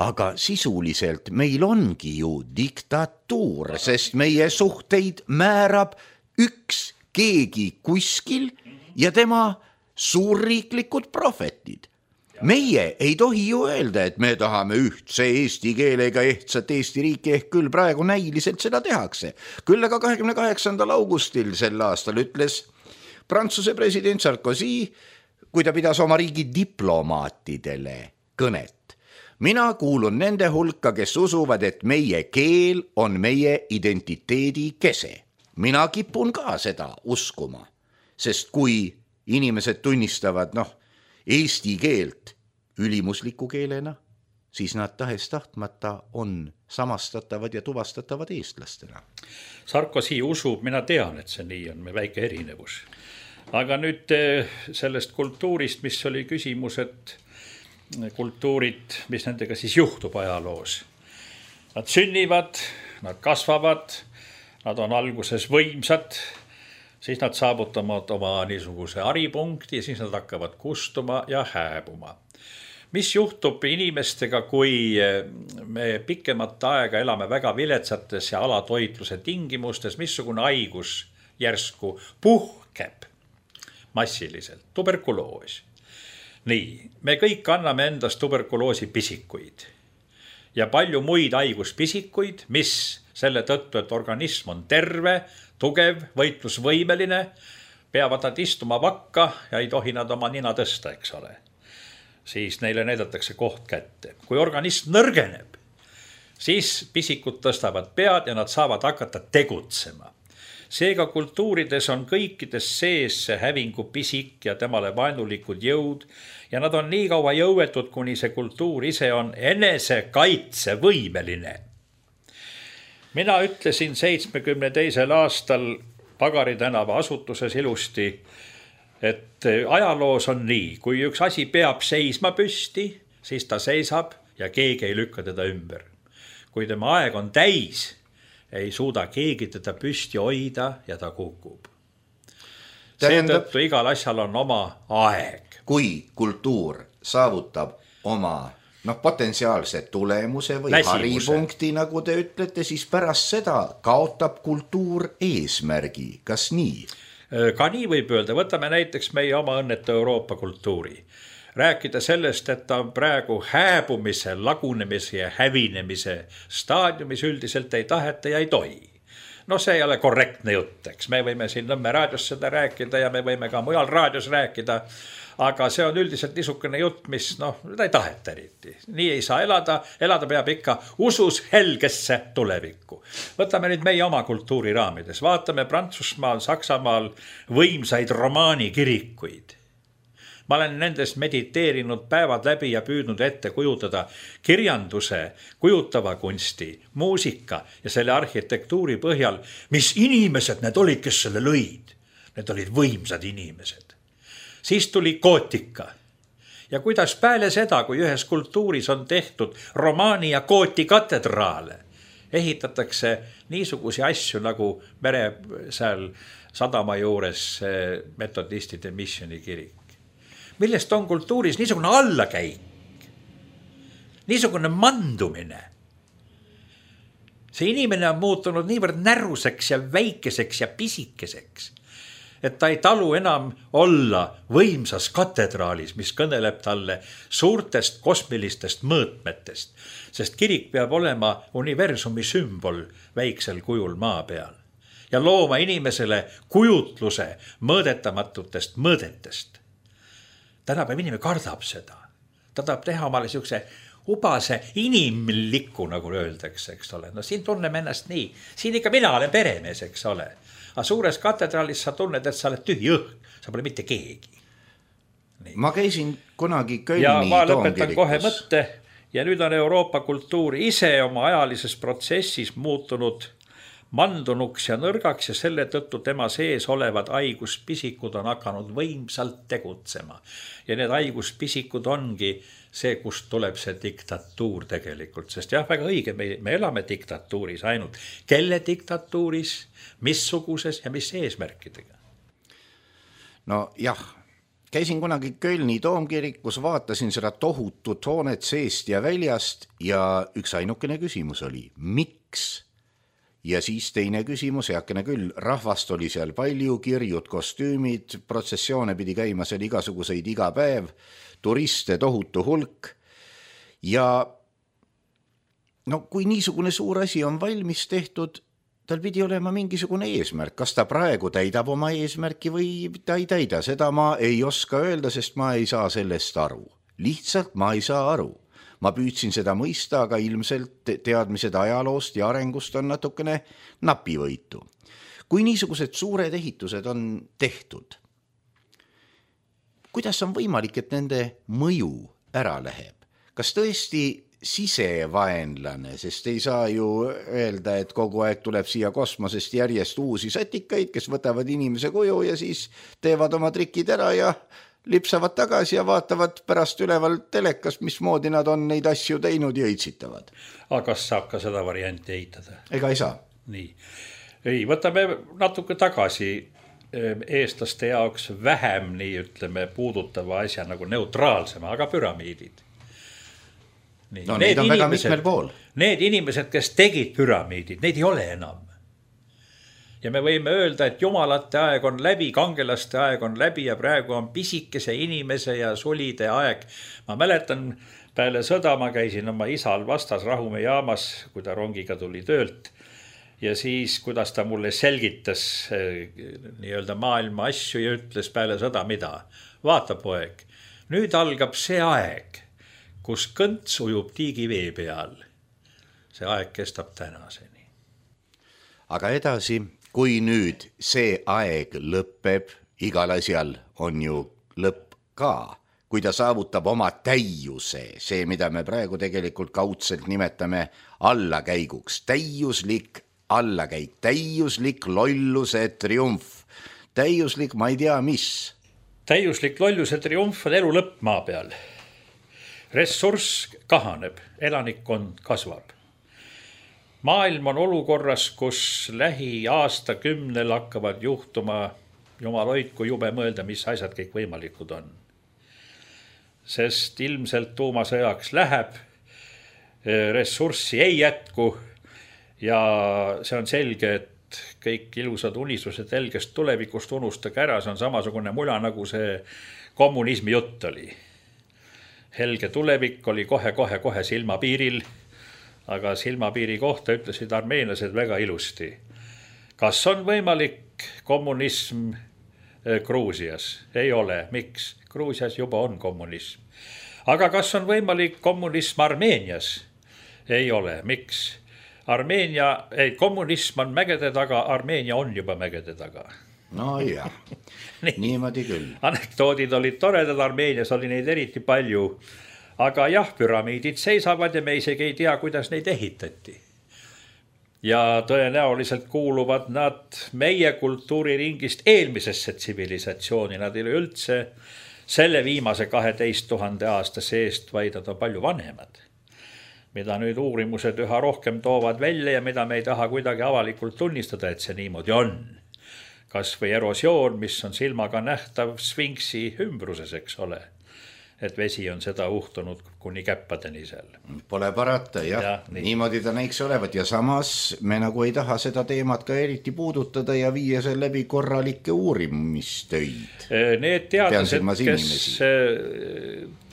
Aga sisuliselt meil ongi ju diktatuur, sest meie suhteid määrab üks keegi kuskil ja tema suurriiklikud prohvetid. Meie ei tohi ju öelda, et me tahame ühtse eesti keelega ehtsat Eesti riiki, ehk küll praegu näiliselt seda tehakse. Küll aga 28. augustil sel aastal ütles Prantsuse president Sarkozy, kui ta pidas oma riigi diplomaatidele kõnet. Mina kuulun nende hulka, kes usuvad, et meie keel on meie identiteedi kese. Mina kipun ka seda uskuma, sest kui inimesed tunnistavad, eesti keelt ülimusliku keelena, siis nad tahes tahtmata on samastatavad ja tuvastatavad eestlastena. Sarkozy usub, mina tean, et see nii on, me väike erinevus. Aga nüüd sellest kultuurist, mis oli küsimus, et kultuurid, mis nendega siis juhtub ajaloos. Nad sünnivad, nad kasvavad, nad on alguses võimsad, siis nad saavutavad oma niisuguse haripunkti ja siis nad hakkavad kustuma ja hääbuma. Mis juhtub inimestega, kui me pikemat aega elame väga viletsates ja alatoitluse tingimustes, missugune haigus järsku puhkeb massiliselt, tuberkuloos. Nii, me kõik anname endast tuberkuloosi pisikuid ja palju muid haiguspisikuid, mis selle tõttu, et organism on terve, tugev, võitlusvõimeline, peavad nad istuma vakka ja ei tohi nad oma nina tõsta, eks ole. Siis neile näidatakse koht kätte. Kui organism nõrgeneb, siis pisikud tõstavad pead ja nad saavad hakata tegutsema. Seega kultuurides on kõikides sees see hävingu pisik ja temale vaenulikud jõud ja nad on nii kaua jõuetud, kuni see kultuur ise on enesekaitsevõimeline. Mina ütlesin 72. aastal Pagari tänava asutuses ilusti, et ajaloos on nii, kui üks asi peab seisma püsti, siis ta seisab ja keegi ei lükka teda ümber. Kui tema aeg on täis, ei suuda keegi teda püsti hoida ja ta kukub. Seetõttu igal asjal on oma aeg. Kui kultuur saavutab oma potentsiaalse tulemuse või haripunkti, nagu te ütlete, siis pärast seda kaotab kultuur eesmärgi. Kas nii? Ka nii võib öelda. Võtame näiteks meie oma õnnetu Euroopa kultuuri. Rääkida sellest, et ta on praegu hääbumise, lagunemise ja hävinemise staadiumis üldiselt ei taheta ja ei tohi. no see ei ole korrektne jutt, eks. Me võime siin Nõmme raadios seda rääkida ja me võime ka mujal raadios rääkida, aga see on üldiselt niisugune jutt, mis ta ei taheta eriti. Nii ei saa elada peab ikka usus helgesse tulevikku. Võtame nüüd meie oma kultuuri raamides, vaatame Prantsusmaal, Saksamaal võimsaid romaanikirikuid. Ma olen nendes mediteerinud päevad läbi ja püüdnud ette kujutada kirjanduse, kujutava kunsti, muusika ja selle arhitektuuri põhjal, mis inimesed need olid, kes selle lõid. Need olid võimsad inimesed. Siis tuli gootika. Ja kuidas peale seda, kui ühes kultuuris on tehtud romaani ja gooti katedraale, ehitatakse niisugusi asju nagu mere seal sadama juures metodistide missioni kirik. Millest on kultuuris niisugune allakäik, niisugune mandumine. See inimene on muutunud niivõrd näruseks ja väikeseks ja pisikeseks, et ta ei talu enam olla võimsas katedraalis, mis kõneleb talle suurtest kosmilistest mõõtmetest, sest kirik peab olema universumi sümbol väiksel kujul maa peal ja looma inimesele kujutluse mõõdetamatutest mõõdetest. Tänapäev inimene kardab seda. Ta tahab teha omale siukse ubase inimlikku, nagu öeldakse, eks ole. No siin tunneme ennast nii. Siin ikka mina olen peremees, eks ole. Aga suures katedraalis sa tunned, et sa oled tühi õhk. Sa pole mitte keegi. Nii. Ma käisin kunagi Kölni ja ma lõpetan toomkirikus. Kohe mõtte. Ja nüüd on Euroopa kultuur ise oma ajalises protsessis muutunud mandunuks ja nõrgaks ja selle tõttu tema sees olevad haiguspisikud on hakanud võimsalt tegutsema. Ja need haiguspisikud ongi see, kust tuleb see diktatuur tegelikult. Sest jah, väga õige, me elame diktatuuris ainult. Kelle diktatuuris, missuguses ja mis eesmärkidega? No jah, käisin kunagi Kölni toomkirikus, vaatasin seda tohutut hoonet seest ja väljast ja üks ainukene küsimus oli, miks? Ja siis teine küsimus, heakene küll, rahvast oli seal palju, kirjud, kostüümid, protsessioone pidi käima seal igasuguseid iga päev, turiste tohutu hulk. Ja kui niisugune suur asi on valmis tehtud, tal pidi olema mingisugune eesmärk. Kas ta praegu täidab oma eesmärki või ta ei täida? Seda ma ei oska öelda, sest ma ei saa sellest aru. Lihtsalt ma ei saa aru. Ma püüdsin seda mõista, aga ilmselt teadmised ajaloost ja arengust on natukene napivõitu. Kui niisugused suured ehitused on tehtud, kuidas on võimalik, et nende mõju ära läheb? Kas tõesti sisevaenlane, sest ei saa ju öelda, et kogu aeg tuleb siia kosmosest järjest uusi sätikaid, kes võtavad inimese kuju ja siis teevad oma trikid ära ja lipsavad tagasi ja vaatavad pärast üleval telekas, mismoodi nad on neid asju teinud ja õitsitavad. Aga kas saab ka seda varianti eitada? Ega ei saa. Nii. Ei, võtame natuke tagasi eestlaste jaoks vähem, nii ütleme, puudutava asja nagu neutraalsema, aga püramiidid. Nii. No neid on väga mitmel pool. Need inimesed, kes tegid püramiidid, neid ei ole enam. Ja me võime öelda, et jumalate aeg on läbi, kangelaste aeg on läbi ja praegu on pisikese inimese ja sulide aeg. Ma mäletan, peale sõda ma käisin oma isal vastas Rahumäe jaamas, kui ta rongiga tuli töölt. Ja siis, kuidas ta mulle selgitas nii-öelda maailma asju ja ütles peale sõda mida. Vaata poeg, nüüd algab see aeg, kus kõnts ujub tiigi vee peal. See aeg kestab tänaseni. Aga edasi... Kui nüüd see aeg lõpeb, igal asjal on ju lõpp ka, kui ta saavutab oma täiuse, see, mida me praegu tegelikult kaudselt nimetame allakäiguks, täiuslik allakäik, täiuslik lolluse triumf, täiuslik ma ei tea mis. Täiuslik lolluse triumf on elu lõpp maa peal. Ressurss kahaneb, elanikkond kasvab. Maailm on olukorras, kus lähi aastakümnel hakkavad juhtuma, jumal hoidku jube mõelda, mis asjad kõik võimalikud on. Sest ilmselt tuumasõjaks läheb, ressurssi ei jätku ja see on selge, et kõik ilusad unistused helgest tulevikust unustage ära, see on samasugune mula, nagu see kommunismi jutt oli. Helge tulevik oli kohe silmapiiril, aga silmapiiri kohta ütlesid armeenlased väga ilusti. Kas on võimalik kommunism Gruusias? Ei ole. Miks? Gruusias juba on kommunism. Aga kas on võimalik kommunism Armeenias? Ei ole. Miks? Kommunism on mägede taga, Armeenia on juba mägede taga. No jah, niimoodi küll. Anekdoodid olid toredad, Armeenias oli neid eriti palju. Aga jah, püramiidid seisavad ja me isegi ei tea, kuidas neid ehitati. Ja tõenäoliselt kuuluvad nad meie kultuuriringist eelmisesse tsivilisatsiooni. Nad ei ole üldse selle viimase 12 000 aasta seest, vaid nad on palju vanemad. Mida nüüd uurimused üha rohkem toovad välja ja mida me ei taha kuidagi avalikult tunnistada, et see niimoodi on. Kas või erosioon, mis on silmaga nähtav Sfinksi ümbruses, eks ole. Et vesi on seda uhtunud kuni käppadeni seal. Pole parata, jah. Niimoodi ta näiks olevat ja samas me nagu ei taha seda teemat ka eriti puudutada ja viia seal läbi korralikke uurimistöid. Need teadlased, kes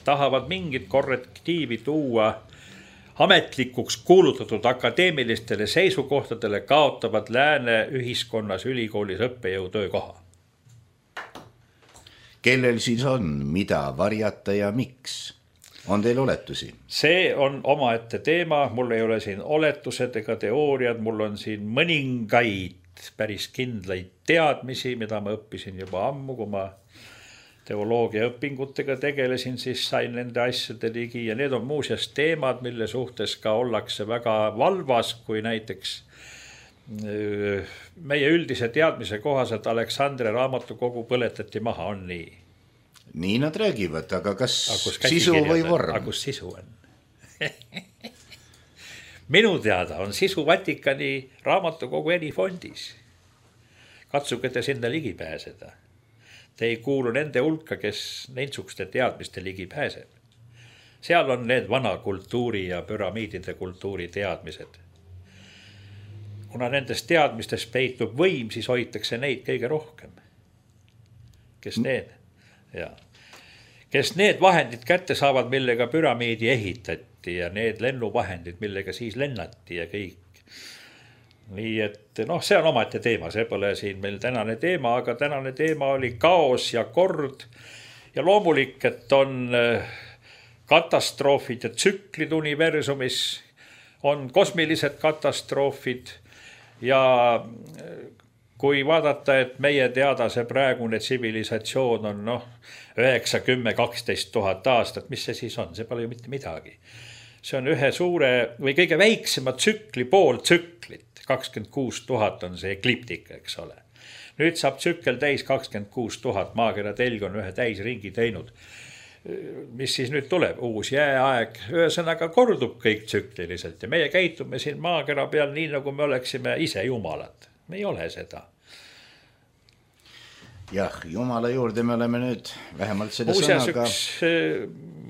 tahavad mingit korrektiivi tuua ametlikuks kuulutatud akadeemilistele seisukohtadele, kaotavad lääne ühiskonnas ülikoolis õppejõu töökoha. Kellel siis on, mida varjata ja miks? On teil oletusi? See on omaette teema, mul ei ole siin oletused ega teooriad, mul on siin mõningaid päris kindlaid teadmisi, mida ma õppisin juba ammu, kui ma teoloogia õpingutega tegelesin, siis sain nende asjade ligi ja need on muuseas teemad, mille suhtes ka ollakse väga valvas, kui näiteks meie üldise teadmise kohaselt Aleksandria raamatukogu põletati maha, on nii? Nii nad räägivad, aga kas sisu või vorm? Aga kus sisu on? Minu teada on sisu Vatikani raamatukogu erifondis. Katsuge te sinna ligi pääseda. Te ei kuulu nende hulka, kes neitsukste teadmiste ligi pääseb. Seal on need vana kultuuri ja püramiidide kultuuri teadmised. Kuna nendest teadmistes peitub võim, siis hoitakse neid kõige rohkem. Kes need vahendid kätte saavad, millega püramiidi ehitati ja need lennuvahendid, millega siis lennati ja kõik. Nii et see on omaette teema, see pole siin meil tänane teema, aga tänane teema oli kaos ja kord ja loomulik, et on katastroofid ja tsüklid universumis, on kosmilised katastroofid. Ja kui vaadata, et meie teada see praegune tsivilisatsioon on 9, 10, 12 000 aastat, mis see siis on? See pole ju mitte midagi. See on ühe suure või kõige väiksema tsükli pool tsüklit. 26 000 on see ekliptika, eks ole. Nüüd saab tsükkel täis 26 000, maakera telg on ühe täisringi teinud. Mis siis nüüd tuleb? Uus jääaeg, ühesõnaga kordub kõik tsükliliselt ja meie käitume siin maakera peal nii, nagu me oleksime ise jumalad. Me ei ole seda. Jah, jumala juurde me oleme nüüd vähemalt seda sõnaga.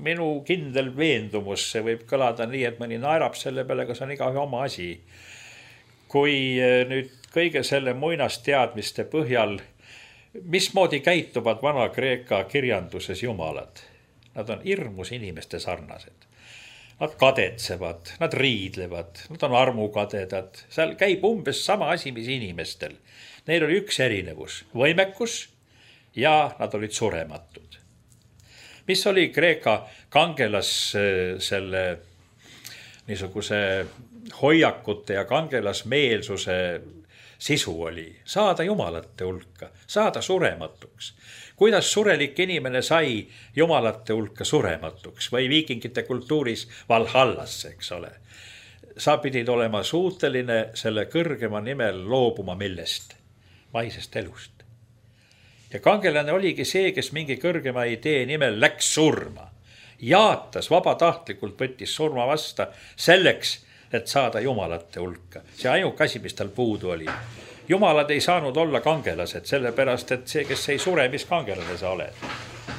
Minu kindel veendumus, see võib kõlada nii, et mõni naerab selle peale, kas on igaühe oma asi. Kui nüüd kõige selle muinasteadmiste põhjal, mismoodi käituvad Vana-Kreeka kirjanduses jumalad? Nad on hirmus inimeste sarnased. Nad kadetsevad, nad riidlevad, nad on armukadedad. Seal käib umbes sama asi, mis inimestel. Neil oli üks erinevus, võimekus ja nad olid surematud. Mis oli Kreeka kangelas selle niisuguse hoiakute ja kangelasmeelsuse sisu oli? Saada jumalate hulka, saada surematuks. Kuidas surelik inimene sai jumalate hulka surematuks või viikingite kultuuris Valhallasse, eks ole. Sa pidid olema suuteline selle kõrgema nimel loobuma millest? Maisest elust. Ja kangelane oligi see, kes mingi kõrgema idee nimel läks surma. Jaatas vabatahtlikult, võttis surma vasta selleks, et saada jumalate hulka. See ainuke asi, mis tal puudu oli. Jumalad ei saanud olla kangelased, sellepärast, et see, kes ei sure, mis kangelane sa oled.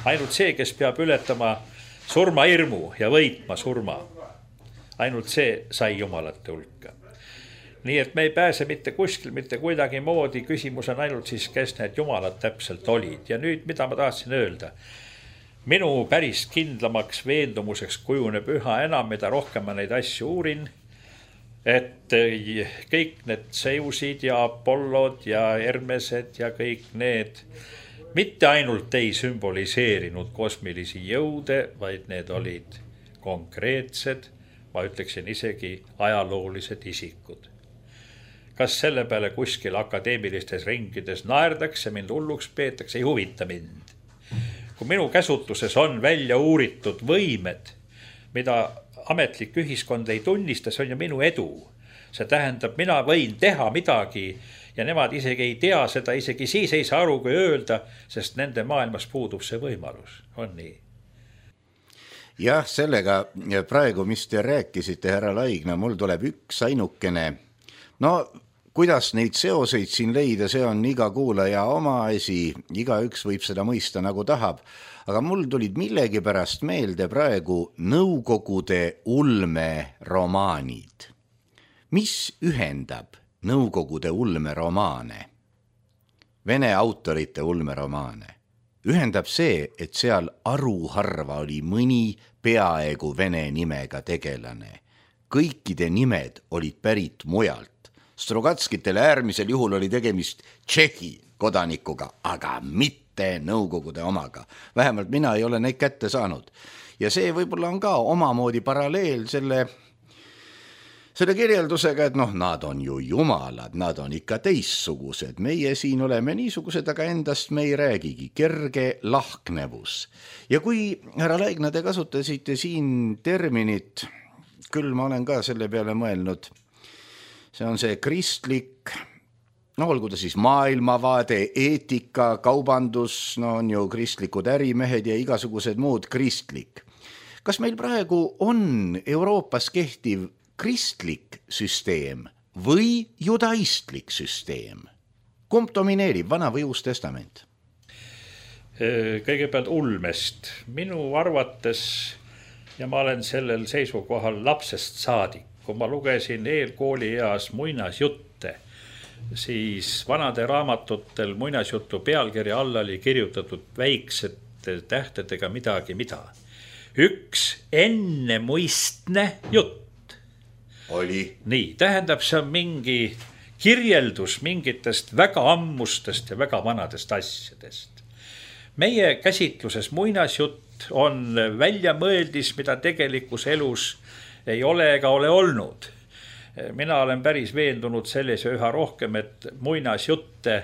Ainult see, kes peab ületama surmahirmu ja võitma surma. Ainult see sai jumalate hulka. Nii et me ei pääse mitte kuskil, mitte kuidagi moodi. Küsimus on ainult siis, kes need jumalad täpselt olid. Ja nüüd, mida ma tahtsin öelda? Minu päris kindlamaks veendumuseks kujuneb üha enam, mida rohkem ma neid asju uurin. et kõik need Zeusid ja Apollod ja Hermesed ja kõik need mitte ainult ei sümboliseerinud kosmilisi jõude, vaid need olid konkreetsed, ma ütleksin isegi ajaloolised isikud. Kas selle peale kuskil akadeemilistes ringides naerdakse, mind hulluks peetakse, ei huvita mind. Kui minu käsutuses on välja uuritud võimed, mida ametlik ühiskond ei tunnista, see on ju minu edu. See tähendab, mina võin teha midagi ja nemad isegi ei tea seda, isegi siis ei saa aru, kui öelda, sest nende maailmas puudub see võimalus. On nii? Jah, sellega praegu, mis te rääkisite, härra Laigna, mul tuleb üks ainukene. No, kuidas neid seoseid siin leida, see on iga kuulaja oma asi, igaüks võib seda mõista nagu tahab. Aga mul tulid millegipärast meelde praegu Nõukogude ulmeromaanid. Mis ühendab Nõukogude ulmeromaane? Vene autorite ulmeromaane. Ühendab see, et seal aruharva oli mõni peaaegu vene nimega tegelane. Kõikide nimed olid pärit mujalt. Strogatskitele äärmisel juhul oli tegemist Tšehhi kodanikuga, aga mitte Nõukogude omaga. Vähemalt mina ei ole neid kätte saanud. Ja see võib-olla on ka omamoodi paralleel selle kirjeldusega, et nad on ju jumalad, nad on ikka teissugused. Meie siin oleme niisugused, aga endast me ei räägigi. Kerge lahknevus. Ja kui, härra Laigna, te kasutasite siin terminit, küll ma olen ka selle peale mõelnud, see on see kristlik, olgu ta siis maailmavaade, eetika, kaubandus, on ju kristlikud ärimehed ja igasugused muud kristlik. Kas meil praegu on Euroopas kehtiv kristlik süsteem või judaistlik süsteem? Kumb domineerib, Vana või Uus Testament? Kõigepealt ulmest. Minu arvates, ja ma olen sellel seisukohal lapsest saadik, kui ma lugesin eelkoolieas muinasjutte, siis vanade raamatutel muinasjutu pealkirja alla oli kirjutatud väiksete tähtedega midagi mida. Üks ennemuistne jutt. Oli. Nii, tähendab, see on mingi kirjeldus mingitest väga ammustest ja väga vanadest asjadest. Meie käsitluses muinasjutt on väljamõeldis, mida tegelikus elus ei ole ega ole olnud. Mina olen päris veendunud selles ja üha rohkem, et muinasjutte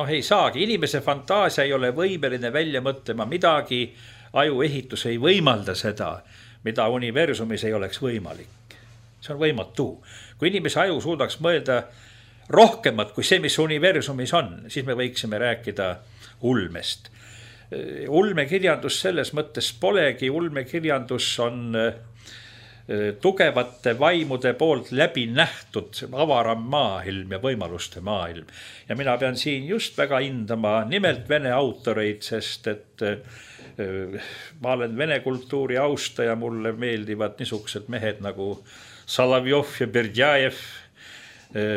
ei saagi. Inimese fantaasia ei ole võimeline välja mõtlema midagi, ajuehitus ei võimalda seda, mida universumis ei oleks võimalik. See on võimatu. Kui inimese aju suudaks mõelda rohkemat kui see, mis universumis on, siis me võiksime rääkida ulmest. Ulmekirjandus selles mõttes polegi. Ulmekirjandus on tugevate vaimude poolt läbi nähtud avaram maailm ja võimaluste maailm. Ja mina pean siin just väga hindama nimelt vene autoreid, sest et ma olen vene kultuuri austaja, mulle meeldivad niisugused mehed nagu Salavjov ja Berdjajev,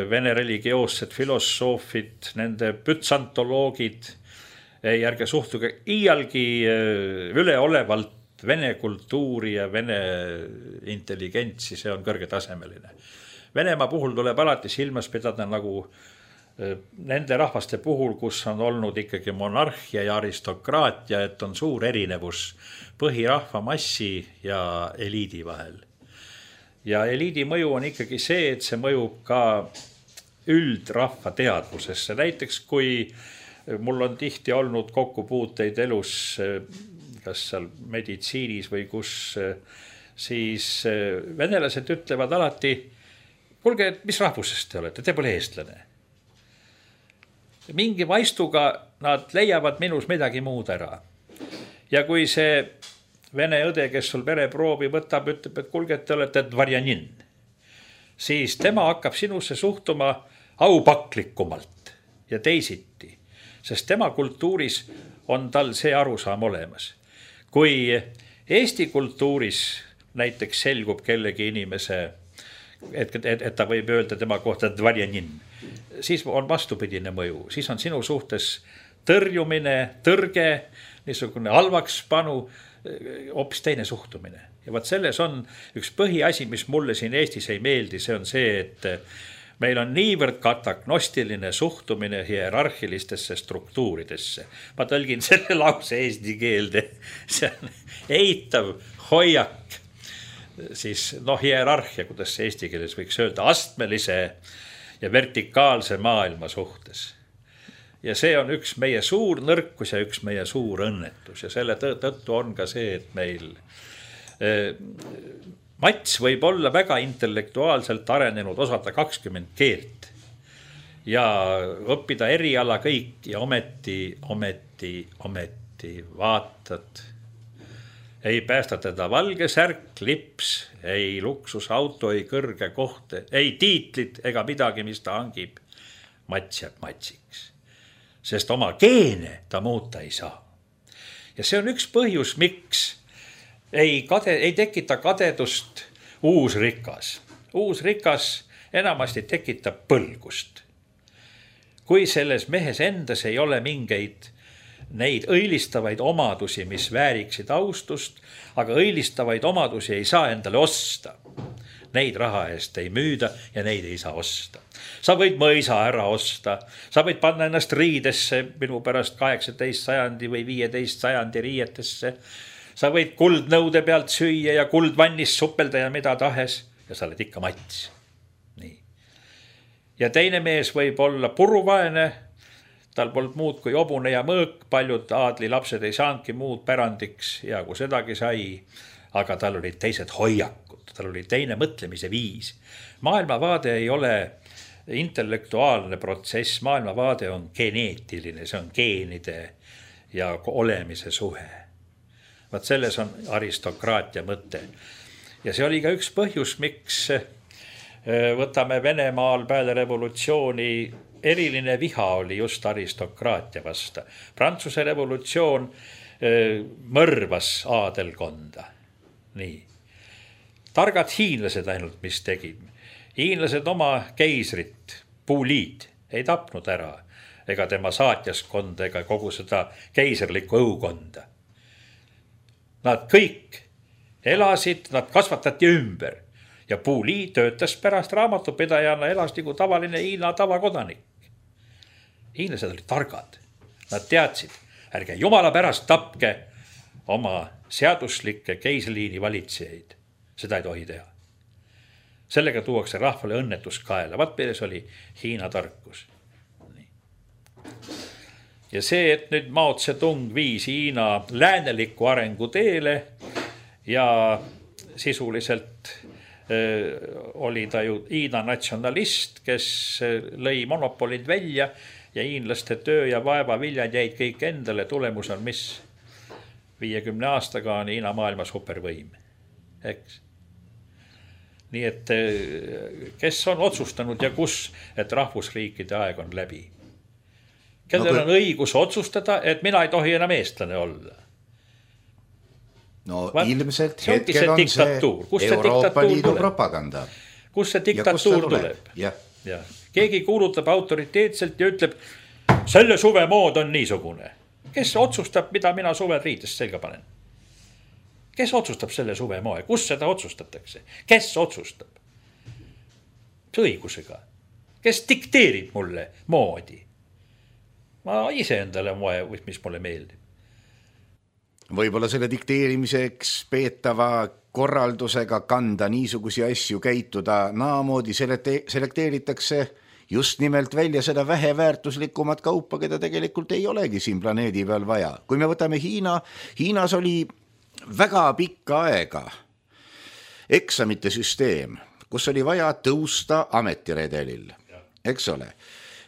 vene religioossed filosoofid, nende pütsantoloogid, ärge suhtuge iialgi üleolevalt vene kultuuri ja vene intelligentsi, see on kõrgetasemeline. Venemaa puhul tuleb alati silmas pidada nagu nende rahvaste puhul, kus on olnud ikkagi monarhia ja aristokraatia, et on suur erinevus põhirahva massi ja eliidi vahel. Ja eliidi mõju on ikkagi see, et see mõjub ka üldrahva teadvusesse. Näiteks kui mul on tihti olnud kokkupuuteid elus, kas seal meditsiinis või kus, siis venelased ütlevad alati, kuulge, mis rahvusest te olete, te pole eestlane. Mingi vaistuga nad leiavad minus midagi muud ära. Ja kui see vene õde, kes sul vereproovi võtab, ütleb, et kuulge, te olete dvarjanin, siis tema hakkab sinusse suhtuma aupaklikumalt ja teisiti, sest tema kultuuris on tal see arusaam olemas. Kui Eesti kultuuris näiteks selgub kellegi inimese, et ta võib öelda tema kohta dvarjanin, siis on vastupidine mõju, siis on sinu suhtes tõrjumine, tõrge, niisugune halvaks panu, hoopis teine suhtumine. Ja vaat selles on üks põhiasi, mis mulle siin Eestis ei meeldi, see on see, et meil on niivõrd katagnostiline suhtumine hierarhilistesse struktuuridesse. Ma tõlgin selle lause eesti keelde. See on eitav hoiak, siis hierarhia, kuidas see eesti keeles võiks öelda, astmelise ja vertikaalse maailma suhtes. Ja see on üks meie suur nõrkus ja üks meie suur õnnetus. Ja selle tõttu on ka see, et meil Mats võib olla väga intellektuaalselt arenenud, osata 20 keelt ja õppida eriala kõik ja ometi vaatad. Ei päästa teda valge särk, lips, ei luksusauto, ei kõrge koht, ei tiitlit ega midagi, mis ta hangib. Mats jääb matsiks, sest oma geene ta muuta ei saa. Ja see on üks põhjus, miks ei tekita kadedust uus rikas. Uus rikas enamasti tekitab põlgust. Kui selles mehes endas ei ole mingeid neid õilistavaid omadusi, mis vääriksid austust, aga õilistavaid omadusi ei saa endale osta. Neid raha eest ei müüda ja neid ei saa osta. Sa võid mõisa ära osta, sa võid panna ennast riidesse, minu pärast 18 sajandi või 15 sajandi riietesse. Sa võid kuldnõude pealt süüa ja kuldvannis supelda ja mida tahes ja sa oled ikka Mats. Nii. Ja teine mees võib olla puruvaene, tal polnud muud kui obune ja mõõk, paljud aadli lapsed ei saanudki muud pärandiks ja kui sedagi sai, aga tal olid teised hoiakud, tal oli teine mõtlemise viis. Maailmavaade ei ole intellektuaalne protsess, maailmavaade on geneetiline, see on geenide ja olemise suhe. Vaat selles on aristokraatia mõte. Ja see oli ka üks põhjus, miks võtame Venemaal peale revolutsiooni eriline viha oli just aristokraatia vasta. Prantsuse revolutsioon mõrvas aadelkonda. Nii. Targad hiinlased ainult, mis tegid. Hiinlased oma keisrit, Puuliid, ei tapnud ära ega tema saatjaskonda ega kogu seda keiserlikku õukonda. Nad kõik elasid, nad kasvatati ümber ja Puuli töötas pärast raamatupidajana, elas nagu tavaline Hiina tavakodanik. Hiinlased olid targad, nad teadsid, ärge jumala pärast tapke oma seaduslikke keisliini valitsejaid, seda ei tohi teha. Sellega tuuakse rahvale õnnetus kaela, vaat meeles oli Hiina tarkus. Ja see, et nüüd Mao Zedong viis Hiina lääneliku arengu teele ja sisuliselt oli ta ju Hiina natsionalist, kes lõi monopolid välja ja hiinlaste töö ja vaeva viljad jäid kõik endale. Tulemus on mis? 50 aastaga on Hiina maailma supervõim. Eks? Nii et kes on otsustanud ja kus, et rahvusriikide aeg on läbi? Kellel on õigus otsustada, et mina ei tohi enam eestlane olla? No ilmselt hetkel on see Euroopa Liidu propaganda. Kus see diktatuur tuleb? Ja. Keegi kuulutab autoriteetselt ja ütleb, selle suve mood on niisugune. Kes otsustab, mida mina suvel riidest selga panen? Kes otsustab selle suve moe? Kus seda otsustatakse? Kes otsustab? Õigusega. Kes dikteerib mulle moodi? Ma ise endale moe, mis mulle meeldib. Võib-olla selle dikteerimiseks peetava korraldusega kanda niisugusi asju käituda naamoodi selekteeritakse just nimelt välja seda väheväärtuslikumat kaupa, keda tegelikult ei olegi siin planeedi peal vaja. Kui me võtame Hiinas oli väga pikka aega eksamite süsteem, kus oli vaja tõusta ametiredelil, eks ole.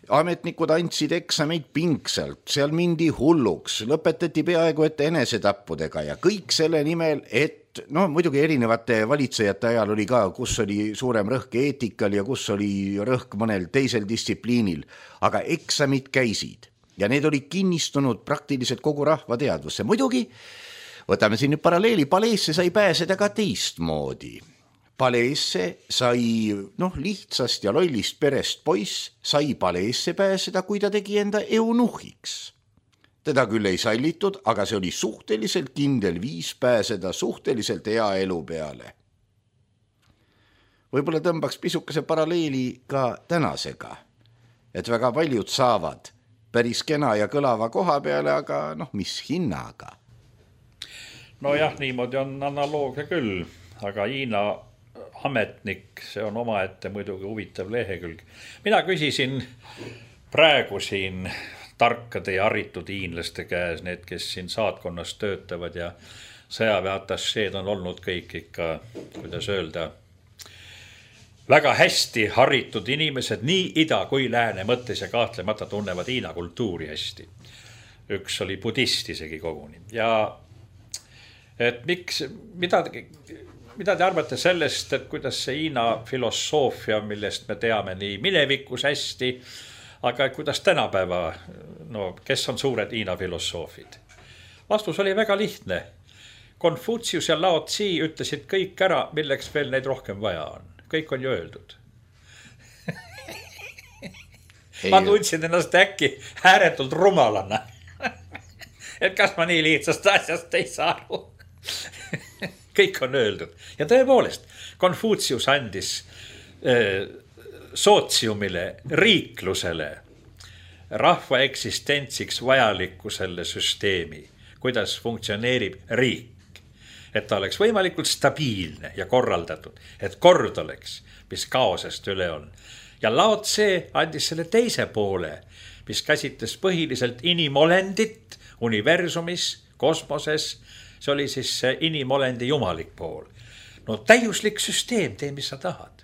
Ametnikud andsid eksameid pingsalt, seal mindi hulluks, lõpetati peaaegu et enesetappudega ja kõik selle nimel, et muidugi erinevate valitsejate ajal oli ka, kus oli suurem rõhk eetikal ja kus oli rõhk mõnel teisel distsipliinil, aga eksamid käisid ja need olid kinnistunud praktiliselt kogu rahva teadvusse. Muidugi, võtame siin nüüd paralleeli, paleesse sai pääseda ka teistmoodi. Paleesse sai, lihtsast ja lollist perest poiss sai paleesse pääseda, kui ta tegi enda eunuhiks. teda küll ei sallitud, aga see oli suhteliselt kindel viis pääseda suhteliselt hea elu peale. Võib-olla tõmbaks pisukese paralleeli ka tänasega, et väga paljud saavad päris kena ja kõlava koha peale, aga mis hinnaga? Nojah, niimoodi on analoogia küll, aga Hiina ametnik, see on omaette muidugi huvitav lehekülg. Mina küsisin praegu siin tarkade ja haritud hiinlaste käes, need, kes siin saatkonnas töötavad ja sõjaväeatasseed on olnud kõik ikka, kuidas öelda, väga hästi haritud inimesed, nii ida kui lääne mõttes ja kahtlemata tunnevad Hiina kultuuri hästi. Üks oli budist isegi koguni. Ja et miks, mida te arvate sellest, et kuidas see Hiina filosoofia, millest me teame nii minevikus hästi, aga kuidas tänapäeva, kes on suured Hiina filosoofid? Vastus oli väga lihtne. Konfutsius ja Lao Tzu ütlesid kõik ära, milleks veel neid rohkem vaja on. Kõik on ju öeldud. Ma tundsin ennast äkki ääretult rumalana. Et kas ma nii lihtsast asjast ei saa aru? Kõik on öeldud. Ja tõepoolest, Konfutsius andis sootsiumile, riiklusele, rahva eksistentsiks vajalikkusele süsteemi, kuidas funktsioneerib riik. Et ta oleks võimalikult stabiilne ja korraldatud, et kord oleks, mis kaosest üle on. Ja Lao Tzu andis selle teise poole, mis käsitles põhiliselt inimolendit universumis, kosmoses. See oli siis inimolendi jumalik pool. No täiuslik süsteem, tee mis sa tahad.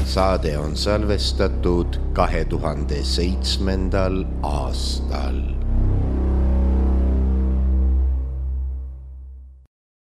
saade on salvestatud 2007. aastal.